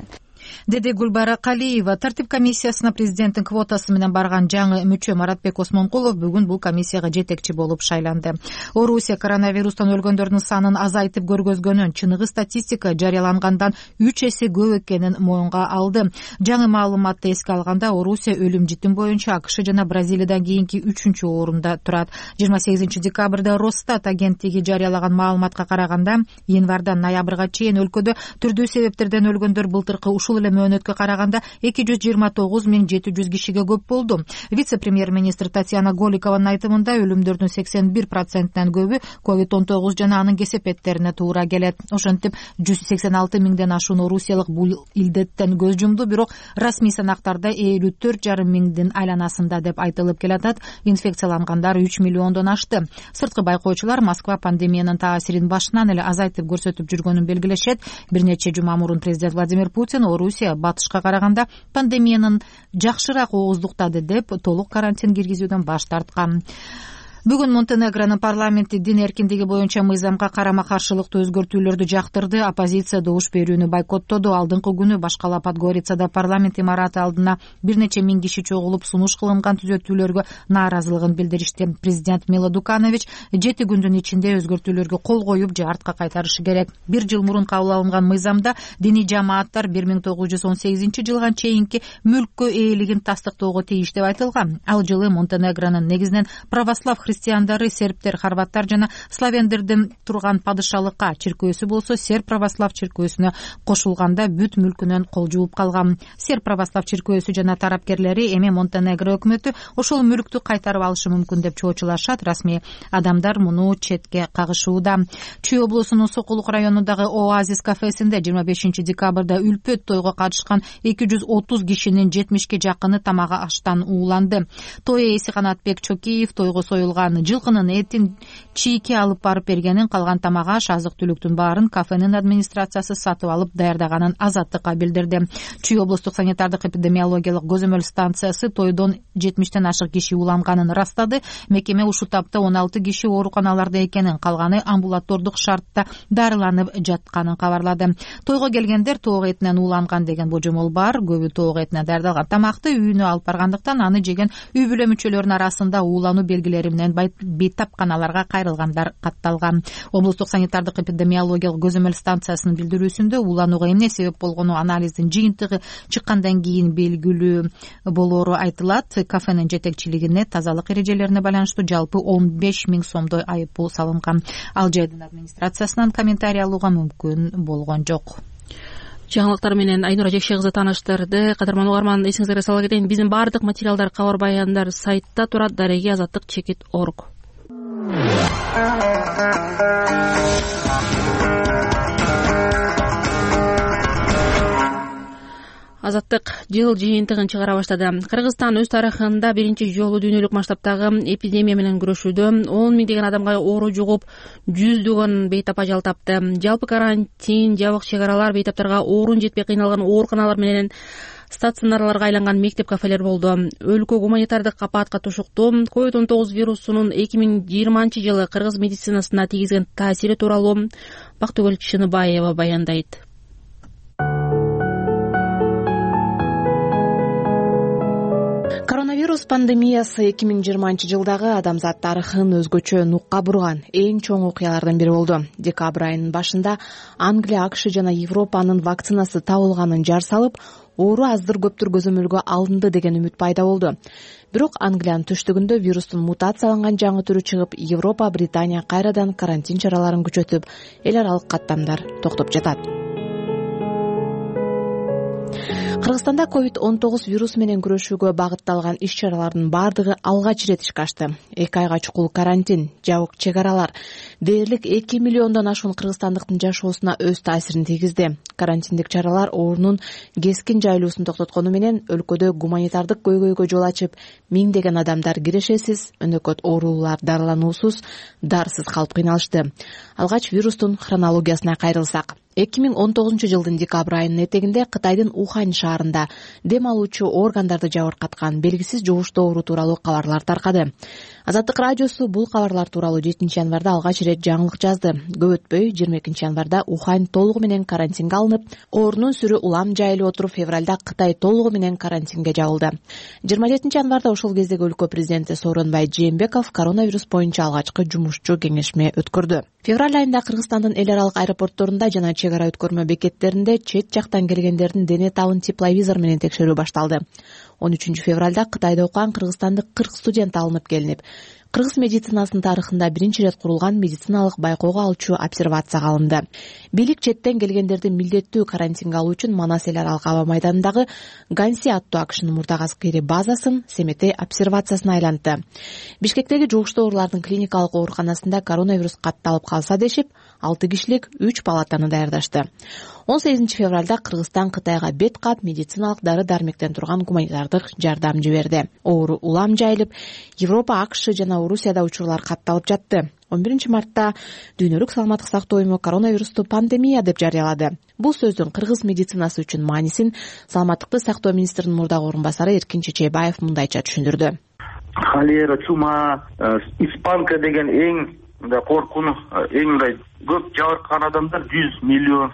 B: Деди Гүлбара Калиева. Тартип комиссиясына президенттин квотасы менен барган жаңы мүчө Маратбек Осмонкулов бүгүн бул комиссияга жетекчи болуп шайланды. Орусия коронавирустан өлгөндөрдүн санын азайтып көргөзгөнүн, чыныгы статистика жарыялангандан 3 эсе көп экенин моюнга алды. Жаңы маалыматты эске алганда, Орусия өлүм житим боюнча АКШ жана Бразилиядан кийинки 3-орунда турат. 28 декабрда Росстат агенттиги жарыялаган маалыматка караганда, январдан ноябрга чейин өлкөдө түрдүү себептерден өлгөндөр былтыркы ушул эле мөөнөткө караганда 229 700 кишиге көп болду. Вице-премьер-министр Татьяна Голикованын айтымында өлүмдөрдүн 81%нан көбү COVID-19 жана анын кесепеттерине туура келет. Ошентип 186 000ден ашуун орусиялык бул илдеттен көз жумду, бирок расмий санактарда 54,5 миңдин айланасында деп айтылып келатат. Инфекциялангандар 3 миллиондон ашты. Сырткы байкоочулар Москва пандемиянын таасирин башынан эле азайтып көрсөтүп жүргөнүн белгилешет. Бир нече жума мурун президент Владимир Путин Орусия батышка караганда пандемиянын жакшыраак ооздуктады деп толук карантин киргизүүдөн баш тарткан. Бүгүн Монтенегронун парламенти дин эркиндиги боюнча мыйзамга карама-каршылыктуу өзгөртүүлөрдү жактырды. Оппозиция добуш берүүнү бойкоттоду. Алдыңкы күнү башкала Подгорицада парламент имараты алдына бир нече миң киши чогулуп сунуш кылынган түзөтүүлөргө нааразылыгын билдиришти. Президент Мило Дуканович 7 күндүн ичинде өзгөртүүлөргө кол коюп же артка кайтарышы керек. Бир жыл мурун кабыл алынган мыйзамда диний жамааттар 1918 жылга чейинки мүлккө ээлигин тастыктоого тийиш деп айтылган. Ал жылы Монтенегронун негизинен православ христиандары, сербтер, хорваттар жана славяндердин турган падышалыкка, чиркөөсү болсо серб православ чиркөөсүнө кошулганда бүт мүлкүнөн кол жууп калган. Серб православ чиркөөсү жана тарапкерлери эми Монтенегро өкмөтү ошол мүлктү кайтарып алышы мүмкүн деп чоочулашат. Расмий адамдар муну четке кагышууда. Чүй облусунун Сокулук районундагы Оазис кафесинде 25 декабрда үлпөт тойго катышкан 230 кишинин 70ке жакыны тамак аштан ууланды. Той ээси Канатбек Чокиев тойго союлган алган. Жылкынын этин чийки алып барып бергенин, калган тамак аш, азык түлүктүн баарын кафенин администрациясы сатып алып даярдаганын Азаттыкка билдирди. Чүй облустук санитардык эпидемиологиялык көзөмөл станциясы тойдон 70тен ашык киши уланганын ырастады. Мекеме ушул тапта 16 киши ооруканаларда экенин, калганы амбулатордук шартта дарыланып жатканын кабарлады. Тойго келгендер тоок этинен ууланган деген божомол бар. Көбү тоок этинен даярдалган тамакты үйүнө алып баргандыктан аны жеген үй бүлө мүчөлөрүнүн арасында уулануу белгилери менен бейтапканаларга кайрылгандар катталган. Облустук санитардык эпидемиологиялык көзөмөл станциясынын билдирүүсүндө ууланууга эмне себеп болгону анализдин жыйынтыгы чыккандан кийин белгилүү болоору айтылат. Кафенин жетекчилигине тазалык эрежелерине байланыштуу жалпы 15 000 сомдой айып пул салынган. Ал жайдын администрациясынан комментарий алууга мүмкүн болгон жок.
A: Жаңылыктар менен Айнура Жекше кызы тааныштырды. Кадырман угарман, эсиңизге сала кетейин. Биздин баардык материалдар, кабар баяндар сайтта турат. Дареги azatlyk.org. Азаттык жыл жыйынтыгын чыгара баштады. Кыргызстан өз тарыхында биринчи жолу дүйнөлүк масштабтагы эпидемия менен күрөшүүдө 10 000 адамга оору жугуп, жүздөгөн бейтап ажал тапты. Жалпы карантин, жабык чек-аралар, бейтаптарга оорун жетпей кыйналган ооруканалар менен стационарларга айланган мектеп-кафелер болду. Өлкө гуманитардык апатка тушуктуу. COVID-19 вирусунун 2020 жылы кыргыз медицинасына тийгизген таасири тууралуу Бактыгүл Чыныбаева баяндайт.
F: Коронавирус пандемиясы 2020 жылдагы адамзат тарыхын өзгөчө нукка бурган эң чоң окуялардын бири болду. Декабрь айынын башында Англия, АКШ жана Европанын вакцинасы табылганын жар салып, оору аздыр-көптүр көзөмөлгө алынды деген үмүт пайда болду. Бирок Англиянын түштүгүндө вирустун мутацияланган жаңы түрү чыгып, Европа, Британия кайрадан карантин чараларын күчөтүп, эл аралык каттамдар токтоп жатат. Кыргызстанда COVID-19 вирусу менен күрөшүүгө багытталган иш-чаралардын бардыгы алгач ирет ишке ашты. 2 айга чукул карантин, жабык чек-аралар дээрлик 2 миллиондон ашуун кыргызстандыктын жашоосуна өз таасирин тийгизди. Карантиндик чаралар оорунун кескин жайылуусун токтоткону менен өлкөдө гуманитардык көйгөйгө жол ачып, миңдеген адамдар кирешесиз, өнөкөт оорулуулар дарылануусуз, дарысыз калып кыйналышты. Алгач вирустун хронологиясына кайрылсак, 2019 жылдын декабрь айынын этегинде Кытайдын Ухань шаарында дем алуучу органдарды жабыркаткан белгисиз жугуштуу оору тууралуу кабарлар таркады. Азаттык радиосу бул кабарлар тууралуу 7 январда алгач ирет жаңылык жазды. Көп өтпөй 22 январда Ухань толугу менен карантинге алынып, оорунун сүрү улам жайылып отуруп, февралда Кытай толугу менен карантинге жабылды. 27 январда ошол кездеги өлкө президенти Сооронбай Жээнбеков коронавирус боюнча алгачкы жумушчу кеңешме өткөрдү. Февраль айында Кыргызстандын эл аралык аэропортторунда жана чек-ара өткөрмө бекеттеринде чет жактан келгендердин дене табын тепловизор менен текшерүү башталды. 13 февралда Кытайда окуган кыргызстандык 40 студент алынып келинип, кыргыз медицинасынын тарыхында биринчи ирет курулган медициналык байкоого алчу обсервацияга алынды. Бийлик четтен келгендерди милдеттүү карантинге алуу үчүн Манас эл аралык аба майданындагы Ганси аттуу АКШнын мурдагы аскери базасын Семетей обсервациясына айлантты. Бишкектеги жугуштуу оорулардын клиникалык ооруканасында коронавирус катталып калса дешип, 6 кишилик 3 палатаны даярдашты. 18 февралда Кыргызстан Кытайга бет кап медициналык дары-дармектен турган гуманитардык жардам жиберди. Оору улам жайылып, Европа, АКШ жана Орусияда учурлар катталып жатты. 11 мартта Дүйнөлүк саламаттык сактоо уюму коронавирусту пандемия деп жарыялады. Бул сөздүн кыргыз медицинасы үчүн маанисин Саламаттыкты сактоо министринин мурдагы орун басары Эркин Чечейбаев мындайча түшүндүрдү.
W: Холера, чума, испанка деген эң коркуну, эң көп жабыркаган адамдар 100 миллион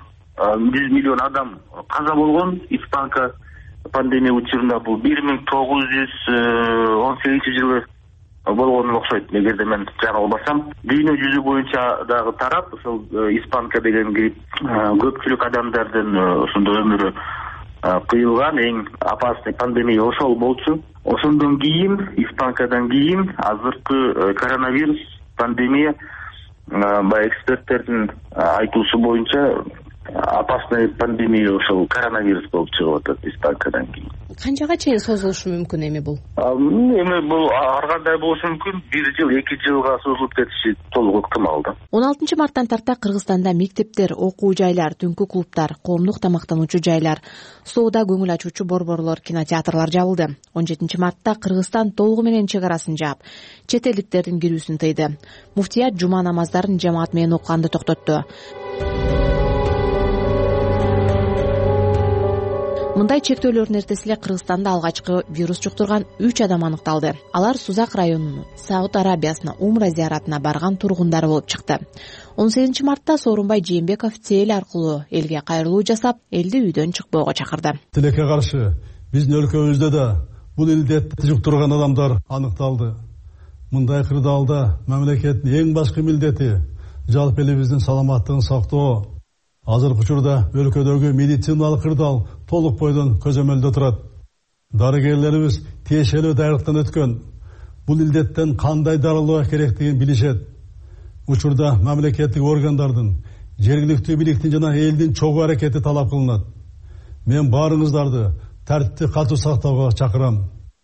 W: адам каза болгон. Испанка пандемия учурунда бул 1918 жылы болгону окшойт, эгерде мен жаңылбасам. Дүйнө жүзү боюнча дагы тарап, ошол испанка деген грипп көпчүлүк адамдардын ошондо өмүрү кыйылган эң опасный пандемия ошол болчу. Ошондон кийин, испанкадан кийин азыркы коронавирус пандемия баягы эксперттердин айтуусу боюнча опасный пандемия ошол коронавирус болуп чыгып атат испанкадан кийин.
F: Канчага чейин созулушу мүмкүн эми бул?
W: Эми бул ар кандай болушу мүмкүн. 1 жыл, 2 жылга созулуп кетиши толук ыктымал да.
F: 16 марттан тарта Кыргызстанда мектептер, окуу жайлар, түнкү клубтар, коомдук тамактануучу жайлар, соода көңүл ачуучу борборлор, кинотеатрлар жабылды. 17 мартта Кыргызстан толугу менен чек арасын жаап, чет элдиктердин кирүүсүн тыйды. Муфтият жума намаздарын жамаат менен окуганды токтотту. Мындай чектөөлөрдүн эртеси эле Кыргызстанда алгачкы вирус жуктурган 3 адам аныкталды. Алар Сузак районунун Сауд Арабиясына умра зияратына барган тургундары болуп чыкты. 18 мартта Сооронбай Жээнбеков тел аркылуу элге кайрылуу жасап, элди үйдөн чыкпоого чакырды.
J: Тилекке каршы биздин өлкөбүздө да бул илдетти жуктурган адамдар аныкталды. Мындай кырдаалда мамлекеттин эң башкы милдети жалпы элибиздин саламаттыгын сактоо. Азыркы учурда өлкөдөгү медициналык кырдаал толук бойдон көзөмөлдө турат. Дарыгерлерибиз тиешелүү даярлыктан өткөн. Бул илдеттен кандай дарылоо керектигин билишет. Учурда мамлекеттик органдардын, жергиликтүү бийликтин жана элдин чогуу аракети талап кылынат. Мен баарыңыздарды тартипти катуу сактоого чакырам.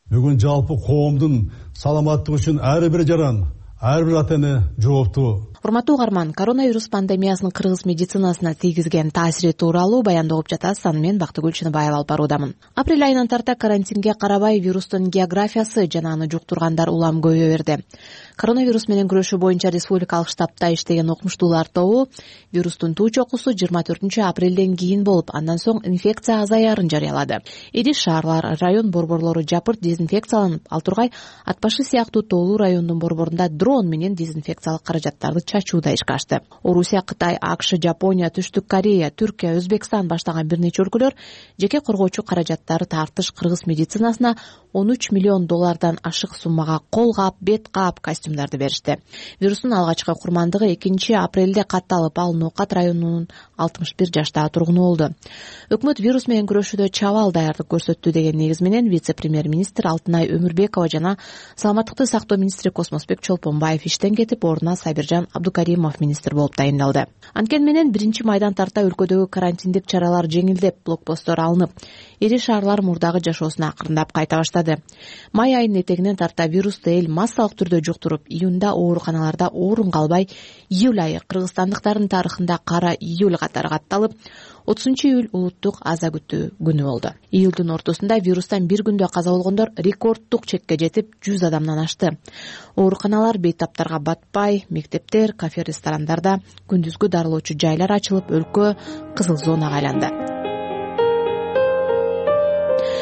J: Бүгүн жалпы коомдун саламаттыгы үчүн ар бир жаран, ар бир ата эне жооптуу.
F: Урматтуу угарман, коронавирус пандемиясынын кыргыз медицинасына тийгизген таасири тууралуу баяндоо угуп жатасыз. Аны мен Бактыгүл Чыныбаева алып баруудамын. Апрель айынан тарта карантинге карабай вирустун географиясы жана аны жуктургандар улам көбөйө берди. Коронавирус менен күрөшүү боюнча республикалык штабта иштеген окумуштуулар тобу вирустун туу чокусу 24 апрелден кийин болуп, андан соң инфекция азаярын жарыялады. Ири шаарлар, район борборлору жапырт дезинфекцияланып, ал тургай Ат башы сыяктуу тоолуу райондун борборунда дрон менен дезинфекциялык каражаттарды чачууда ишке ашты. Орусия, Кытай, АКШ, Жапония, Түштүк Корея, Түркия, Өзбекстан баштаган бир нече өлкөлөр жеке коргоочу каражаттары тартыш кыргыз медицинасына $13 миллион ашык суммага кол кап, бет кап, костюмдарды беришти. Вирустун алгачкы курмандыгы 2 апрелде катталып, ал Ноокат районунун 61 жаштагы тургуну болду. Өкмөт вирус менен күрөшүүдө чабал даярдык көрсөттү деген негиз менен вице-премьер-министр Алтынай Өмүрбекова жана саламаттыкты сактоо министри Космосбек Чолпонбаев иштен кетип, ордуна Сабиржан Абдукаримов министр болуп тайындалды. Анткени менен 1 майдан тарта өлкөдөгү карантиндик чаралар жеңилдеп, блокпосттор алынып, ири шаарлар мурдагы жашоосуна акырындап кайта баштады. Май айынын этегинен тарта вирусту эл массалык түрдө жуктуруп, июнда ооруканаларда орун калбай, июль айы кыргызстандыктардын тарыхында кара июль катары катталып, 30-июль улуттук аза күтүү күнү болду. Июлдун ортосунда вирустан бир күндө каза болгондор рекорддук чекке жетип 100 адамдан ашты. Ооруканалар бейтаптарга батпай, мектептер, кафе, ресторандарда күндүзгү дарылоочу жайлар ачылып, өлкө кызыл зонага айланды.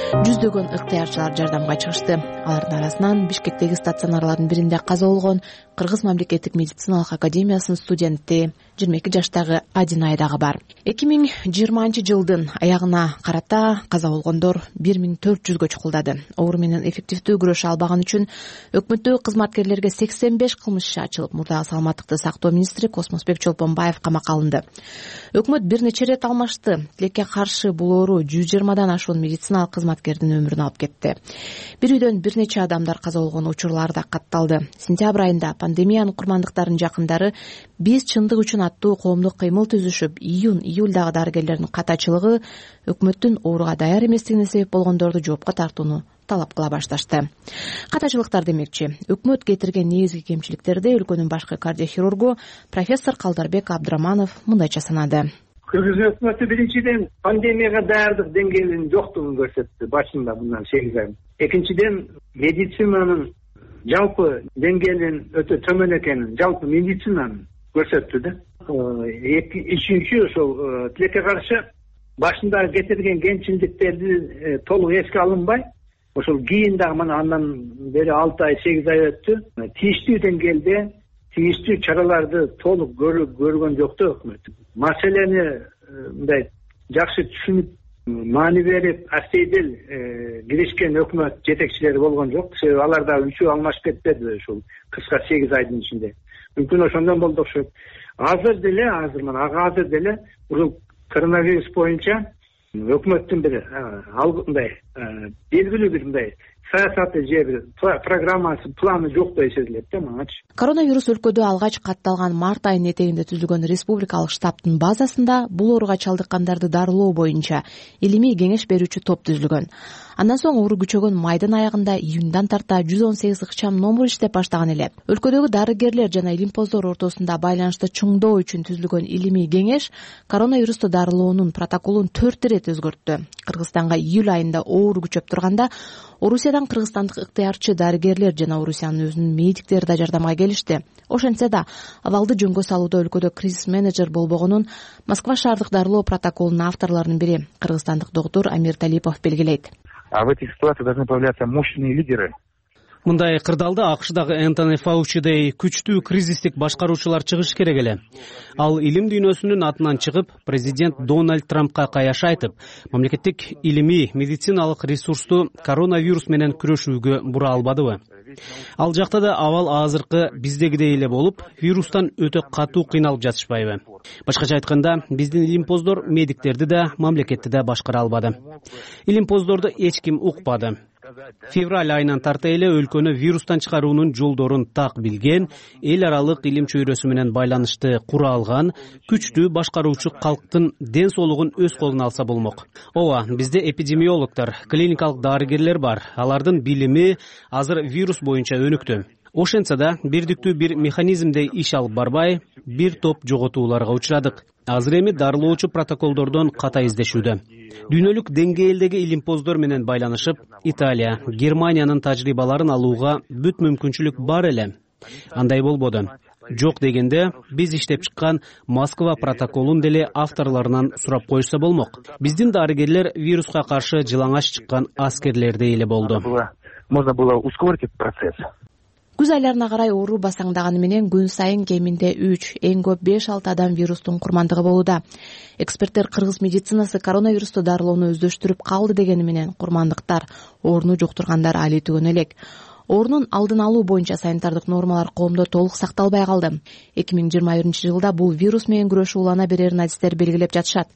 F: Жүздөгөн ыктыярчылар жардамга чыгышты. Алардын арасынан Бишкектеги стационарлардын биринде каза болгон Кыргыз мамлекеттик медициналык академиясынын студенти 22 жаштагы Адинай дагы бар. 2020 жылдын аягына карата каза болгондор 1400гө чукулдады. Оору менен эффективдүү күрөшө албаган үчүн өкмөттөгү кызматкерлерге 85 кылмыш иш ачылып, мурдагы саламаттыкты сактоо министри Космосбек Чолпонбаев камакка алынды. Өкмөт бир нече ирет алмашты. Тилекке каршы бул оору 120 ашуун медициналык кызматкердин өмүрүн алып кетти. Бир үйдөн бир нече адамдар каза болгон учурлар да катталды. Сентябрь айында пандемиянын курмандыктарынын жакындары биз чындык үчүн аттуу коомдук кыймыл түзүшүп, июнь-июльдагы дарыгерлердин катачылыгы өкмөттүн ооруга даяр эместигине себеп болгондорду жоопко тартууну талап кыла башташты. Катачылыктар демекчи, өкмөт кетирген негизги кемчиликтерди өлкөнүн башкы кардиохирургу профессор Калдарбек Абдыраманов мындайча санады.
L: Кыргыз өкмөтү биринчиден пандемияга даярдык деңгээлинин жоктугун көрсөттү башында bundan 8 ай. Экинчиден медицинанын жалпы деңгээлинин өтө төмөн экенин, жалпы медицинанын көрсөттү да. Үчүнчү ошол тилекке каршы башында кетирген кемчиликтерди толук эске алынбай, ошол кийин дагы мына андан бери 6 ай 8 ай өттү. Тийиштүү деңгээлде тийиштүү чараларды толук көргөн жок да өкмөт. Маселени мындай жакшы түшүнүп, маани берип, астейдил киришкен өкмөт жетекчилери болгон жок. Себеби алар да үчөө алмашып кетпеди ушул кыска 8 айдын ичинде. Мүмкүн ошондон болду окшойт. Азыр деле ушул коронавирус боюнча өкмөттүн бир мындай белгилүү бир мындай саясаты же бир программасы, планы жок да сезилет да мангачы.
F: Коронавирус өлкөдө алгач катталган март айынын этегинде түзүлгөн республикалык штабтын базасында бул ооруга чалдыккандарды дарылоо боюнча илимий кеңеш берүүчү топ түзүлгөн. Андан соң оору күчөгөн майдын аягында июндан тарта 118 ыкчам номер иштеп баштаган эле. Өлкөдөгү дарыгерлер жана илимпоздор ортосунда байланышты чоңдоо үчүн түзүлгөн илимий кеңеш коронавирусту дарылоонун протоколун 4 ирет өзгөрттү. Кыргызстанга июль айында оору күчөп турганда Орусиядан кыргызстандык ыктыярчы дарыгерлер жана Орусиянын өзүнүн медиктери да жардамга келишти. Ошентсе да абалды жөнгө салууда өлкөдө кризис менеджер болбогонун Москва шаардык дарылоо протоколунун авторлорунун бири кыргызстандык доктур Амир Талипов белгилейт.
C: А в этих ситуациях должны появляться мощные лидеры.
G: Мындай кырдаалда АКШдагы Энтони Фаучидей күчтүү кризистик башкаруучулар чыгыш керек эле. Ал илим дүйнөсүнүн атынан чыгып, президент Дональд Трампка каяш айтып, мамлекеттик илимий медициналык ресурсту коронавирус менен күрөшүүгө бура албадыбы? Ал жакта да абал азыркы биздегидей эле болуп, вирустан өтө катуу кыйналып жатышпайбы? Башкача айтканда, биздин илимпоздор медиктерди да, мамлекетти да башкара албады. Илимпоздорду эч ким укпады. Февраль айынан тарта эле өлкөнү вирустан чыгаруунун жолдорун так билген, эл аралык илим чөйрөсү менен байланышты кура алган, күчтүү башкаруучу калктын ден соолугун өз колуна алса болмок. Ооба, бизде эпидемиологдор, клиникалык дарыгерлер бар. Алардын билими азыр вирус боюнча өнүктү. Ошентсе да, бирдиктүү бир механизмде иш алып барбай, бир топ жоготууларга учурадык. Азыр эми дарылоочу протоколдордон ката издешүүдө. Дүйнөлүк деңгээлдеги илимпоздор менен байланышып, Италия, Германиянын тажрыйбаларын алууга бүт мүмкүнчүлүк бар эле. Андай болбоду. Жок дегенде, биз иштеп чыккан Москва протоколун деле авторлорунан сурап коюшса болмок. Биздин дарыгерлер вируска каршы жылаңач чыккан аскерлердей эле болду.
C: Можно было ускорить этот процесс.
F: Күз айларына карай оору басаңдаганы менен күн сайын кеминде 3, эң көп 5-6 адам вирустун курмандыгы болууда. Эксперттер кыргыз медицинасы коронавирусту дарылоону өздөштүрүп калды дегени менен курмандыктар, ооруну жуктургандар али түгөнө элек. Оорунун алдын алуу боюнча санитардык нормалар коомдо толук сакталбай калды. 2021-жылда бул вирус менен күрөшүү улана берерин адистер белгилеп жатышат.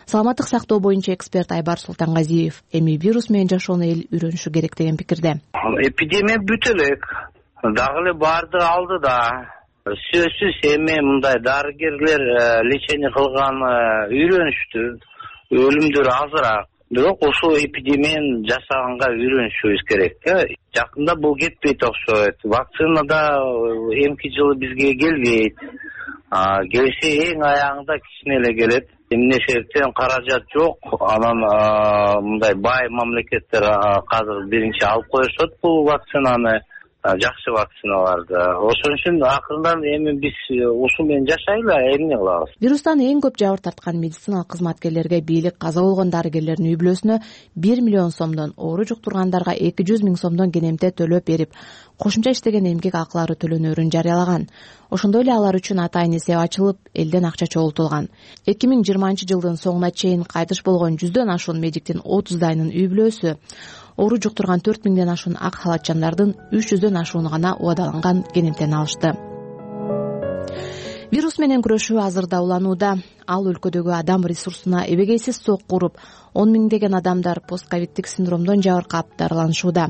F: Саламаттык сактоо боюнча эксперт Айбар Султангазиев эми вирус менен жашоону эл үйрөнүшү керек деген пикирде.
M: Эпидемия бүтө элек. Дагы эле барды алды да. Сөзсүз эми мындай дарыгерлер лечение кылган үйрөнүштү. Өлүмдөр азыраак. Бирок ушул эпидемияны жасаганга үйрөнүшүбүз керек. Жакында бул кетпейт окшойт. Вакцина да эмки жылы бизге келбейт. Келсе эң аягында кичине эле келет. Эмне себептен каражат жок. Анан мындай бай мамлекеттер азыр биринчи алып коюшат бул вакцинаны. Жакшы вакциналарды. Ошон үчүн акырындан эми биз ушул менен жашайлы, эмне кылабыз?
F: Вирустан эң көп жабыр тарткан медициналык кызматкерлерге бийлик каза болгон дарыгерлердин үй бүлөсүнө 1 миллион сомдон, оору жуктургандарга 200 миң сомдон кенемте төлөп берип, кошумча иштеген эмгек акылары төлөнөрүн жарыялаган. Ошондой эле алар үчүн атайын эсеп ачылып, элден акча чогултулган. 2020-жылдын соңуна чейин кайтыш болгон 100дөн ашуун медиктин 30дайынын үй бүлөсү, оору жуктурган 4 миңден ашуун ак халатчандардын 300дөн ашууну гана убадаланган кенемтени алышты. Вирус менен күрөшүү азырда уланууда. Ал өлкөдөгү адам ресурсуна эбегейсиз сокку уруп, 10 миңдеген адамдар постковидтик синдромдон жабыркап дарыланышууда.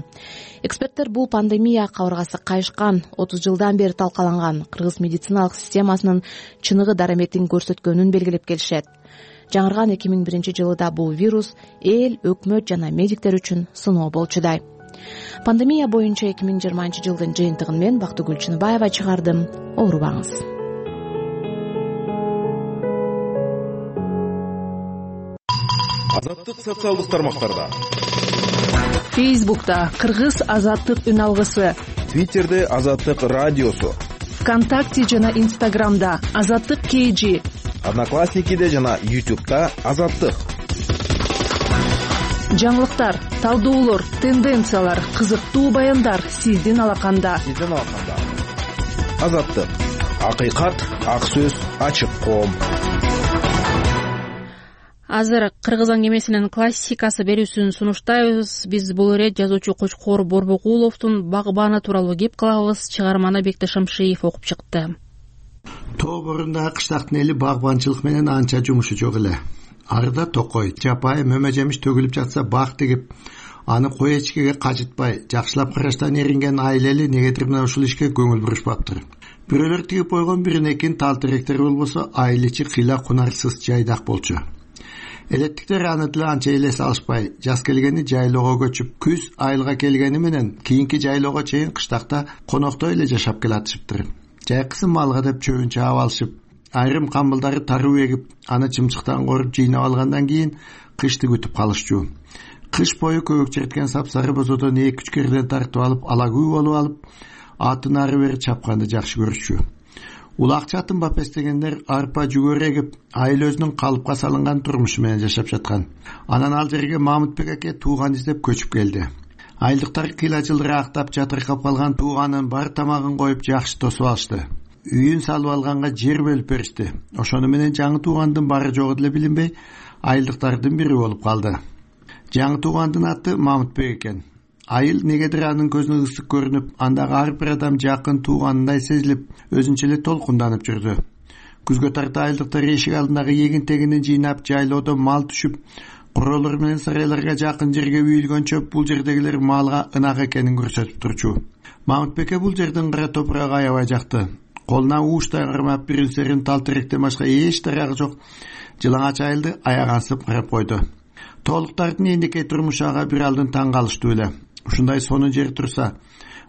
F: Эксперттер бул пандемия кабыргасы кайышкан, 30 жылдан бери талкаланган кыргыз медициналык системасынын чыныгы дараметин көрсөткөнүн белгилеп келишет. Жаңырган 2001-жылда бул вирус эл, өкмөт жана медиктер үчүн сыноо болчудай. Пандемия боюнча 2020-жылдын жыйынтыгын мен Бактыгүл Чыныбаева чыгардым. Оорубаңыз.
N: Азаттык социалдык тармактарда.
Y: Фейсбукта Кыргыз азаттык үн алгысы.
N: Твиттерде Азаттык радиосу.
Y: ВКонтакте жана Инстаграмда Азаттык KG.
N: Одноклассникиде жана YouTube'да Азаттык.
Y: Жаңылыктар, талдоолор, тенденциялар, кызыктуу баяндар сиздин алаканда.
N: Азаттык. Акыйкат, ак сөз, ачык коом.
A: Азыр Кыргыз аңгемесинин классикасы берүүсүн сунуштайбыз. Биз бул ирет жазуучу Кочкор Борбокуловдун Багбаны тууралуу кеп кылабыз. Чыгарманы Бекти Шамшиев окуп чыкты.
Z: Тоо борунда кыштактын эли багбанчылык менен анча жумушу жок эле. Арыда токой, жапайы, мөмө жемиш төгүлүп жатса бак тигип, Аны кой эчкеге качытпай, жакшылап караштан эринген айлели негедир мына ушул ишке көңүл бурушпаптыр. Бирөөлөр тигип койгон биринекин тал теректер болбосо айыл ичи кыйла кунарсыз жайдак болчу. Элеттиктер аны деле анча эле салышпай, жаз келгени жайлоого көчүп, күз айылга келгени менен кийинки жайлоого чейин кыштакта коноктой эле жашап келатышыптыр. Жайкысын малга деп чөбүн чаап алышып, айрым камбылдары таруу эгип, аны чымчыктан коруп жыйнап алгандан кийин кышты күтүп калышчу. Кыш бою көбүк черткен сапсары бозодон 2-3 керден тартып алып, алагүү болуп алып, атын ары бери чапканды жакшы көрүшчү. Улак чатын бапес дегендер арпа жүгөр эгип, айыл өзүнүн калыпка салынган турмушу менен жашап жаткан. Анан ал жерге Мамытбек аке тууган издеп көчүп келди. Айылдыктар кыйла жылдыр актап жатыркап калган тууганын бар тамагын коюп жакшы тосуп алышты. Үйүн салып алганга жер бөлүп беришти. Ошону менен жаңы туугандын бары жогу деле билинбей, айылдыктардын бири болуп калды. Жаңы туугандын аты Мамытбек экен. Айыл негедир анын көзүнө ысык көрүнүп, андагы ар бир адам жакын тууганындай сезилип, өзүнчө эле толкунданып жүрдү. Күзгө тарта айылдыктар эшик алдындагы эгин тегинин жыйнап, жайлоодо мал түшүп, куролор менен сарайларга жакын жерге үйүлгөнчө бул жердегилер малга ынак экенин көрсөтүп турчу. Мамытбекке бул жердин кара топурагы аябай жакты. Колуна ууштай кармап биринсерин тал теректен башка эч дарагы жок жылаңач айылды аягансып карап койду. Тоолуктардын эндикей турмушу ага бир алдын таң калыштуу эле. Ушундай сонун жер турса,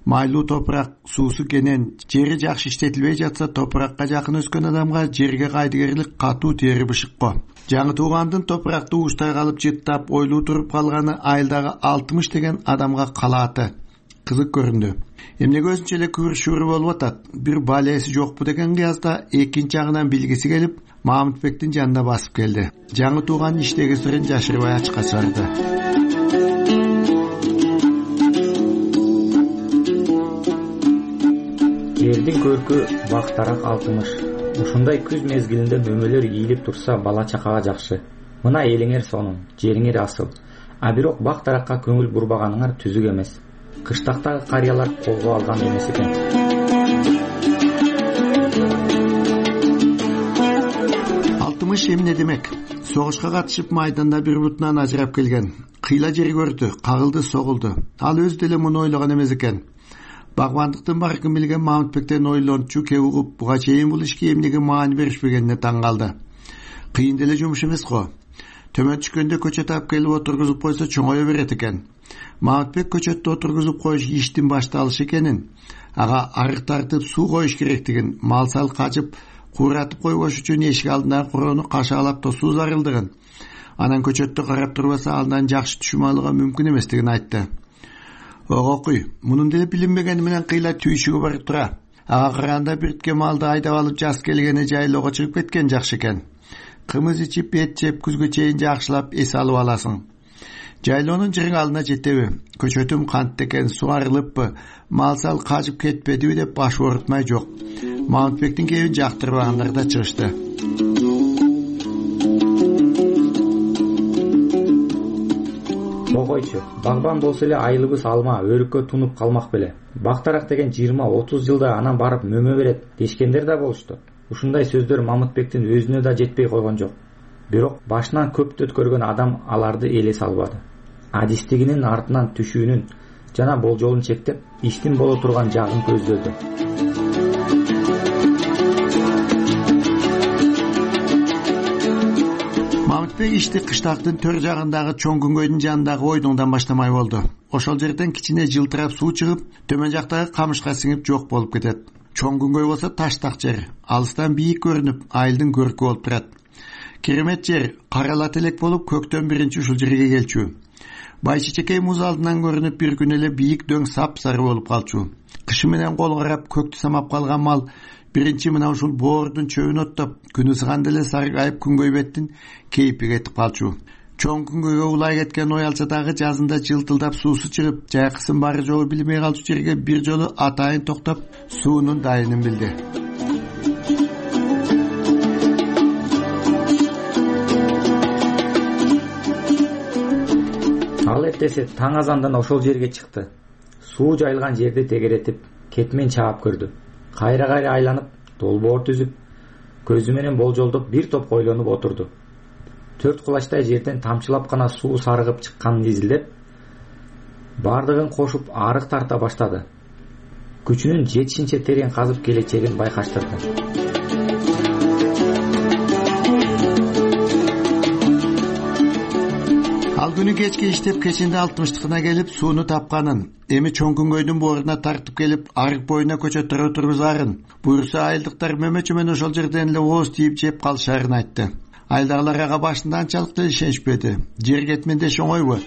Z: майлуу топурак, суусу кенен, жери жакшы иштетилбей жатса, топуракка жакын өскөн адамга жерге кайдыгерлик катуу тери бышыкко. Жаңы туугандын топуракты ууштай калып жыттап, ойлуу туруп калганы айылдагы 60 деген адамга калааты кызык көрүндү. Эмнеге өзүнчө эле күбүр-шүбүр болуп атат, бир балеси жокпу деген кыязда экинчи жагынан билгиси келип, Мамытбектин жанына басып келди. Жаңы тууган иштеги сырын жашырбай ачыкка чыгарды.
K: Элдин көркү бактарак 60. Ушундай күз мезгилинде мөмөлөр ийилип турса бала чакага жакшы. Мына элиңер сонун, жериңер асыл. А бирок бактаракка көңүл бурбаганыңар түзүк эмес. Кыштактагы карыялар колго алган эмес экен.
Z: Эмне демек? Согушка катышып майданда бир бутунан ажырап келген. Кыйла жер көрдү, кагылды, согулду. Ал өзү деле муну ойлогон эмес экен. Багбандыктын баркын билген Мамытбектен ойлончу кеп угуп, буга чейин бул ишке эмнеге маани беришпегенине таң калды. Кыйын деле жумуш эмес го. Төмөн түшкөндө көчөт алып келип отургузуп койсо чоңое берет экен. Мамытбек көчөттү отургузуп коюш иштин башталышы экенин, ага арык тартып суу коюш керектигин, мал сал качып кууратып койбош үчүн эшик алдындагы короону кашаалап тосуу зарылдыгын, анан көчөттү карап турбаса андан жакшы түшүм алууга мүмкүн эместигин айтты. Огокуй, мунун деле билинбегени менен кыйла түйшүгү бар тура. Ага караганда биртке малды айдап алып жаз келгени жайлоого чыгып кеткен жакшы экен. Кымыз ичип, эт жеп, күзгө чейин жакшылап эс алып аласың. Жайлоонун жырыңалына жетеби? Көчөтүм кантты экен, суарылыппы, мал сал качып кетпедиби деп баш оорутмай жок. Мамытбектин кебин жактырбагандар да чыгышты.
K: Койчу, багбан болсо эле айылыбыз алма, өрүккө тунуп калмак беле. Бактарак деген 20-30 жылда анан барып мөмө берет дешкендер да болушту. Ушундай сөздөр Мамытбектин өзүнө да жетпей койгон жок. Бирок башынан көптү өткөргөн адам аларды эле салбады. Адистигинин артынан түшүүнүн жана болжолун чектеп, иштин боло турган жагын көздөдү.
Z: Мамытбек ишти кыштактын төр жагындагы чоң күнгөйдүн жанындагы ойдуңдан баштамай болду. Ошол жерден кичине жылтырап суу чыгып, төмөн жактагы камышка сиңип жок болуп кетет. Чоң күнгөй болсо таштак жер, алыстан бийик көрүнүп, айылдын көркү болуп турат. Керемет жер, каралат элек болуп, көктөн биринчи ушул жерге келчү. Байчечекей муз алдынан көрүнүп, бир күн эле бийик дөң сап-сары болуп калчу. Кышы менен кол карап, көктү самап калган мал биринчи мына ушул боордун чөбүн оттоп, күн ысыганда эле саргайып күнгөй беттин кейпи кетип калчу. Чоң күнгөйгө улай кеткен ой алса дагы жазында жылтылдап суусу чыгып, жайкысын бары жолу билбей калчу жерге бир жолу атайын токтоп, суунун дайынын билди.
K: Ал эртеси таң азандан ошол жерге чыкты. Суу жайылган жерди тегеретип, кетмен чаап көрдү. Кайра-кайра айланып, долбоор түзүп, көзү менен болжолдоп бир топ ойлонуп отурду. 4 кулачтай жерден тамчылап гана суу сарыгып чыкканын изилдеп, бардыгын кошуп арык тарта баштады. Күчүнүн жетишинче терең казып келечегин байкаштырды.
Z: Ал күнү кечке иштеп кечинде 60-тыкына келип сууну тапканын, эми чоң күнгөйдүн бооруна тартып келип арык боюна көчөттөргө тургузаарын, буюрса айылдыктар мөмөчү менен ошол жерден эле ооз тийип жеп калышаарын айтты. Айылдагылар ага башында анчалык да ишенишпеди. Жер кетмендеш оңойбу,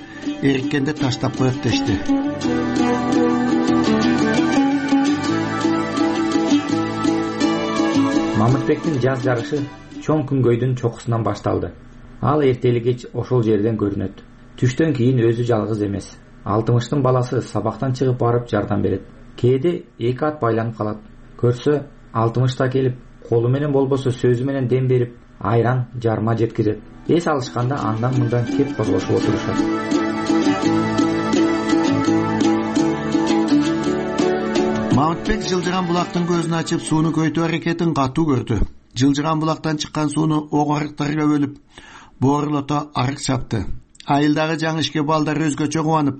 Z: эриккенде таштап коет дешти.
K: Мамытбектин жаз жарышы чоң күнгөйдүн чокусунан башталды. Ал эртели кеч ошол жерден көрүнөт. Түштөн кийин өзү жалгыз эмес. 60-тын баласы сабактан чыгып барып жардам берет. Кээде 2 ат байланып калат. Көрсө 60-та келип, колу менен болбосо сөзү менен дем берип, айран, жарма жеткирет. Эс алышканда андан мындан кеп козгошуп отурушат.
Z: Мамытбек жылжыган булактын көзүн ачып сууну көйтүү аракетин катуу көрдү. Жылжыган булактан чыккан сууну ок арыктарга бөлүп, боорулото арык чапты. Айылдагы жаңы ишке балдар өзгөчө кубанып,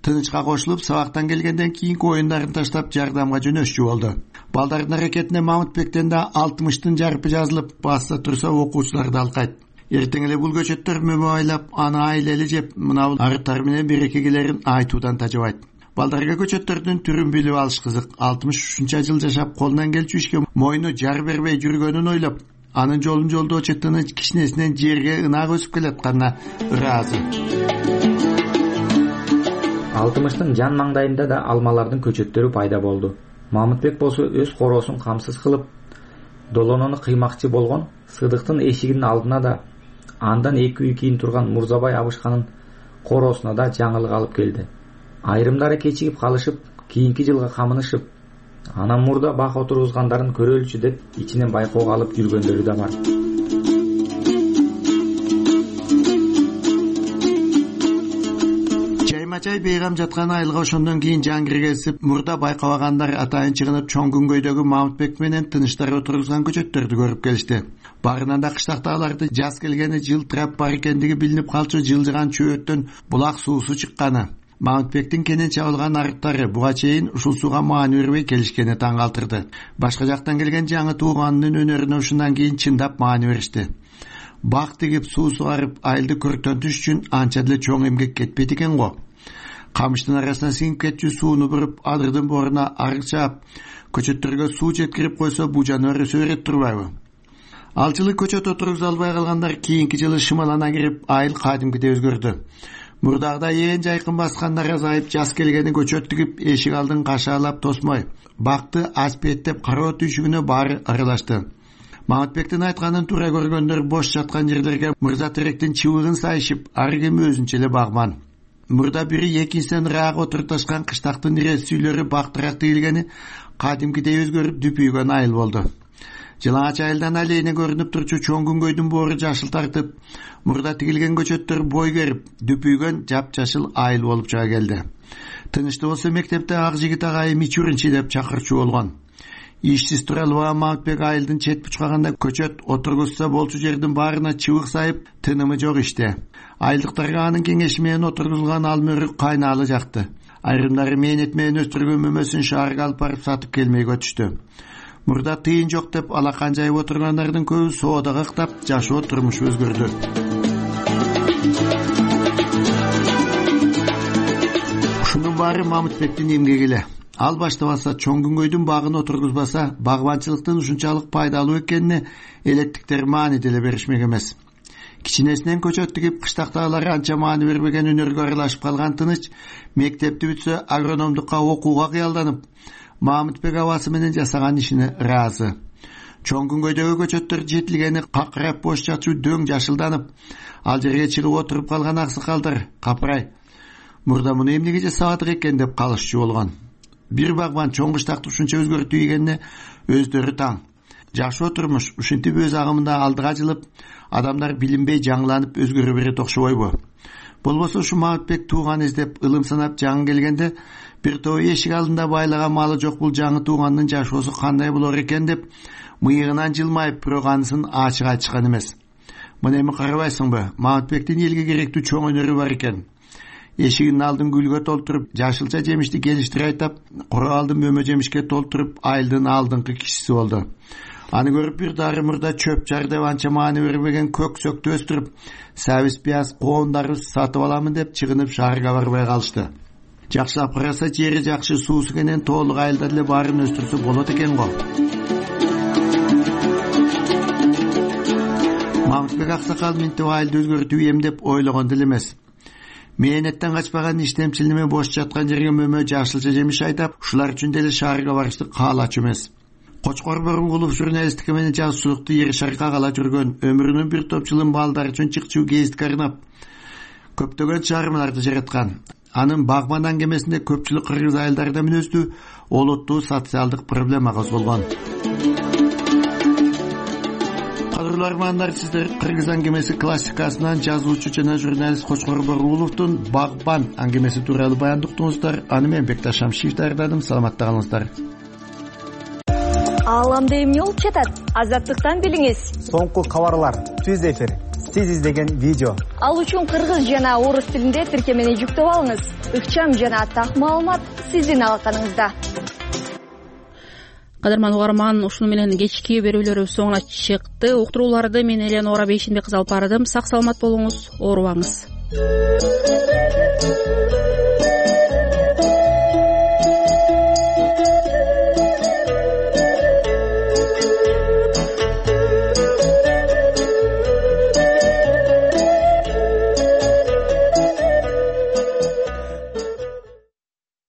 Z: тынычка кошулуп, сабактан келгенден кийинки оюндарын таштап жардамга жөнөшчү болду. Балдардын аракетине Мамытбектен да 60-тын жарпы жазылып, басса турса окуучулар да алкайт. Эртең эле бул көчөттөр мөмө айлап, аны айлели жеп, мына арыктар менен берекегелерин айтуудан тажабайт. Балдарга көчөттөрдүн түрүн билип алыш кызык. 60 ушунча жыл жашап колунан келчү ишке мойну жар бербей жүргөнүн ойлоп, анын жолун жолдоочу тыныч кичинесинен жерге ынак өсүп келатканына ыраазы.
K: 60-тын жан маңдайында да алмалардын көчөттөрү пайда болду. Мамытбек болсо өз короосун камсыз кылып, долонону кыймакчы болгон Сыдыктын эшигинин алдына да, андан 2 үй кийин турган Мурзабай абышканын короосуна да жаңылык алып келди. Айрымдары кечигип калышып, кийинки жылга камынышып, анан мурда бак отургузгандарын көрөлүчү деп ичинен байкоого алып жүргөндөрү да бар.
Z: Чаймачай бейгам жаткан айылга ошондон кийин жан киргизип, мурда байкабагандар атайын чыгынып чоң күнгөйдөгү Мамытбек менен тыныштар отургузган көчөттөрдү көрүп келишти. Барынан да кыштактагыларды жаз келгени жылтырап бар экендиги билинип калчу жылжыган чөбөттөн булак суусу чыкканы. Мамытбектин кенен чабылган арыктары буга чейин ушул сууга маани бербей келишкени таң калтырды. Башка жактан келген жаңы тууганынын өнөрүнө ушундан кийин чындап маани беришти. Бак тигип суу сугарып айылды көрктөнтүш үчүн анча деле чоң эмгек кетпейт экен го. Камыштын арасына сиңип кетчү сууну буруп, адырдын бооруна арык чаап, көчөттөргө суу жеткирип койсо бул жаныбар өсө берет турбайбы? Ал жылы көчөт отургуза албай калгандар кийинки жылы шымалана кирип, айыл кадимкидей өзгөрдү. Мурдагыдай ээн жайкын баскандар азайып, жаз келгени көчөт тигип, эшик алдын кашаалап тосмой, бакты аспеттеп кароо түйшүгүнө баары аралашты. Мамытбектин айтканын туура көргөндөр бош жаткан жерлерге Мырза Теректин чыбыгын сайышып, ар ким өзүнчө эле багман. Мурда бири экинчисинен ыраак отурташкан кыштактын ирет сүйүлөрү бактыраак тигилгени кадимкидей өзгөрүп дүпүйгөн айыл болду. Жылаңач айылдан алейне көрүнүп турчу чоң күнгөйдүн боору жашыл тартып, мурда тигилген көчөттөр бой керип, дүпүйгөн жапжашыл айыл болуп чыга келди. Тынычты болсо мектепте ак жигит агайым Мичуринчи деп чакырчу болгон. Ишсиз тура албаган Мамытбек айылдын чет бучкагында көчөт отургузса болчу жердин баарына чыбык сайып, тынымы жок иште. Айылдыктарга анын кеңеши менен отургузулган алмөрүк кайнаалы жакты. Айрымдары мээнет менен өстүргөн мөмөсүн шаарга алып барып сатып келмей көтүштү. Мурда тыйын жок деп алакан жайып отургандардын көбү соодага ыктап, жашоо турмушу өзгөрдү. Ушунун баары Мамытбектин эмгеги эле. Ал баштабаса, чоң күнгөйдүн багын отургузбаса, багбанчылыктын ушунчалык пайдалуу экенине электиктер маани деле беришмек эмес. Кичинесинен көчөт тигип, кыштактагылар анча маани бербеген өнөргө аралашып калган Тыныч мектепти бүтсө агрономдукка окууга кыялданып, Мамытбек абасы менен жасаган ишине ыраазы. Чоң күнгөйдөгү көчөттөр жетилгени какырап бош жатчу дөң жашылданып, ал жерге чыгып отуруп калган аксакалдар капырай, мурда муну эмнеге жасабадык экен деп калышчу болгон. Бир багбан чоң кыштакты ушунча өзгөртүү ийгенине өздөрү таң. Жашоо турмуш ушинтип өз агымында алдыга жылып, адамдар билинбей жаңыланып өзгөрө берет окшобойбу? Болбосо ушу Мамытбек тууган издеп ылым санап жаңы келгенде бир топ эшик алдында байлаган малы жок бул жаңы туугандын жашоосу кандай болор экен деп мыйыгынан жылмайып, бирок анысын ачык айтышкан эмес. Мына эми карабайсыңбы, Мамытбектин элге керектүү чоң өнөрү бар экен. эшигинин алдын гүлгө толтуруп, жашылча жемишти келиштире айтап, кура алдын мөмө жемишке толтуруп, айылдын алдыңкы кишиси болду. Аны көрүп бир дары мурда чөп жар деп анча маани бербеген көк сөктү өстүрүп, сабиз пияз коомдарды сатып аламын деп чыгынып шаарга барбай калышты. Жакшылап караса, жери жакшы, суусу менен толук айылда эле баарын өстүрсө болот экен го. Мамытбек аксакал минтип айылды өзгөртүп эм деп ойлогон деле эмес. Мээнеттен качпаган иштемчил неме бош жаткан жерге мөмө жашылча жемиш айдап, ушулар үчүн деле шаарга барышты каалачу эмес. Кочкор Борункулов журналистика менен жазуучулукту ер шаркка кала жүргөн, өмүрүнүн бир топ жылын балдар үчүн чыкчуу гезит карнап, көптөгөн чыгармаларды жараткан. Анын Багман аңгемесинде көпчүлүк кыргыз айылдарында мүнөздүү олуттуу социалдык проблема козголгон. Кадырлуу армандар, сиздер Кыргыз аңгемеси классикасынан жазуучу жана журналист Кочкор Борункуловдун Багман аңгемеси тууралуу баяндоо уктуңуздар. Аны мен Бекташ Шамшиев даярдадым. Саламатта калыңыздар.
O: Ааламда эмне болуп жатат? Азаттыктан билиңиз.
P: Соңку кабарлар, түз эфир, сиз издеген видео.
O: Ал үчүн кыргыз жана орус тилинде тиркемени жүктөп алыңыз. Ыкчам жана так маалымат сиздин алаканыңызда.
A: Кадырман угарман, ушуну менен кечки берүүлөрүбүз соңуна чыкты. Уктурууларды мен Элена 15 Ора 5 Ошондой кызып бардым. Сак саламат болуңуз, оорубаңыз.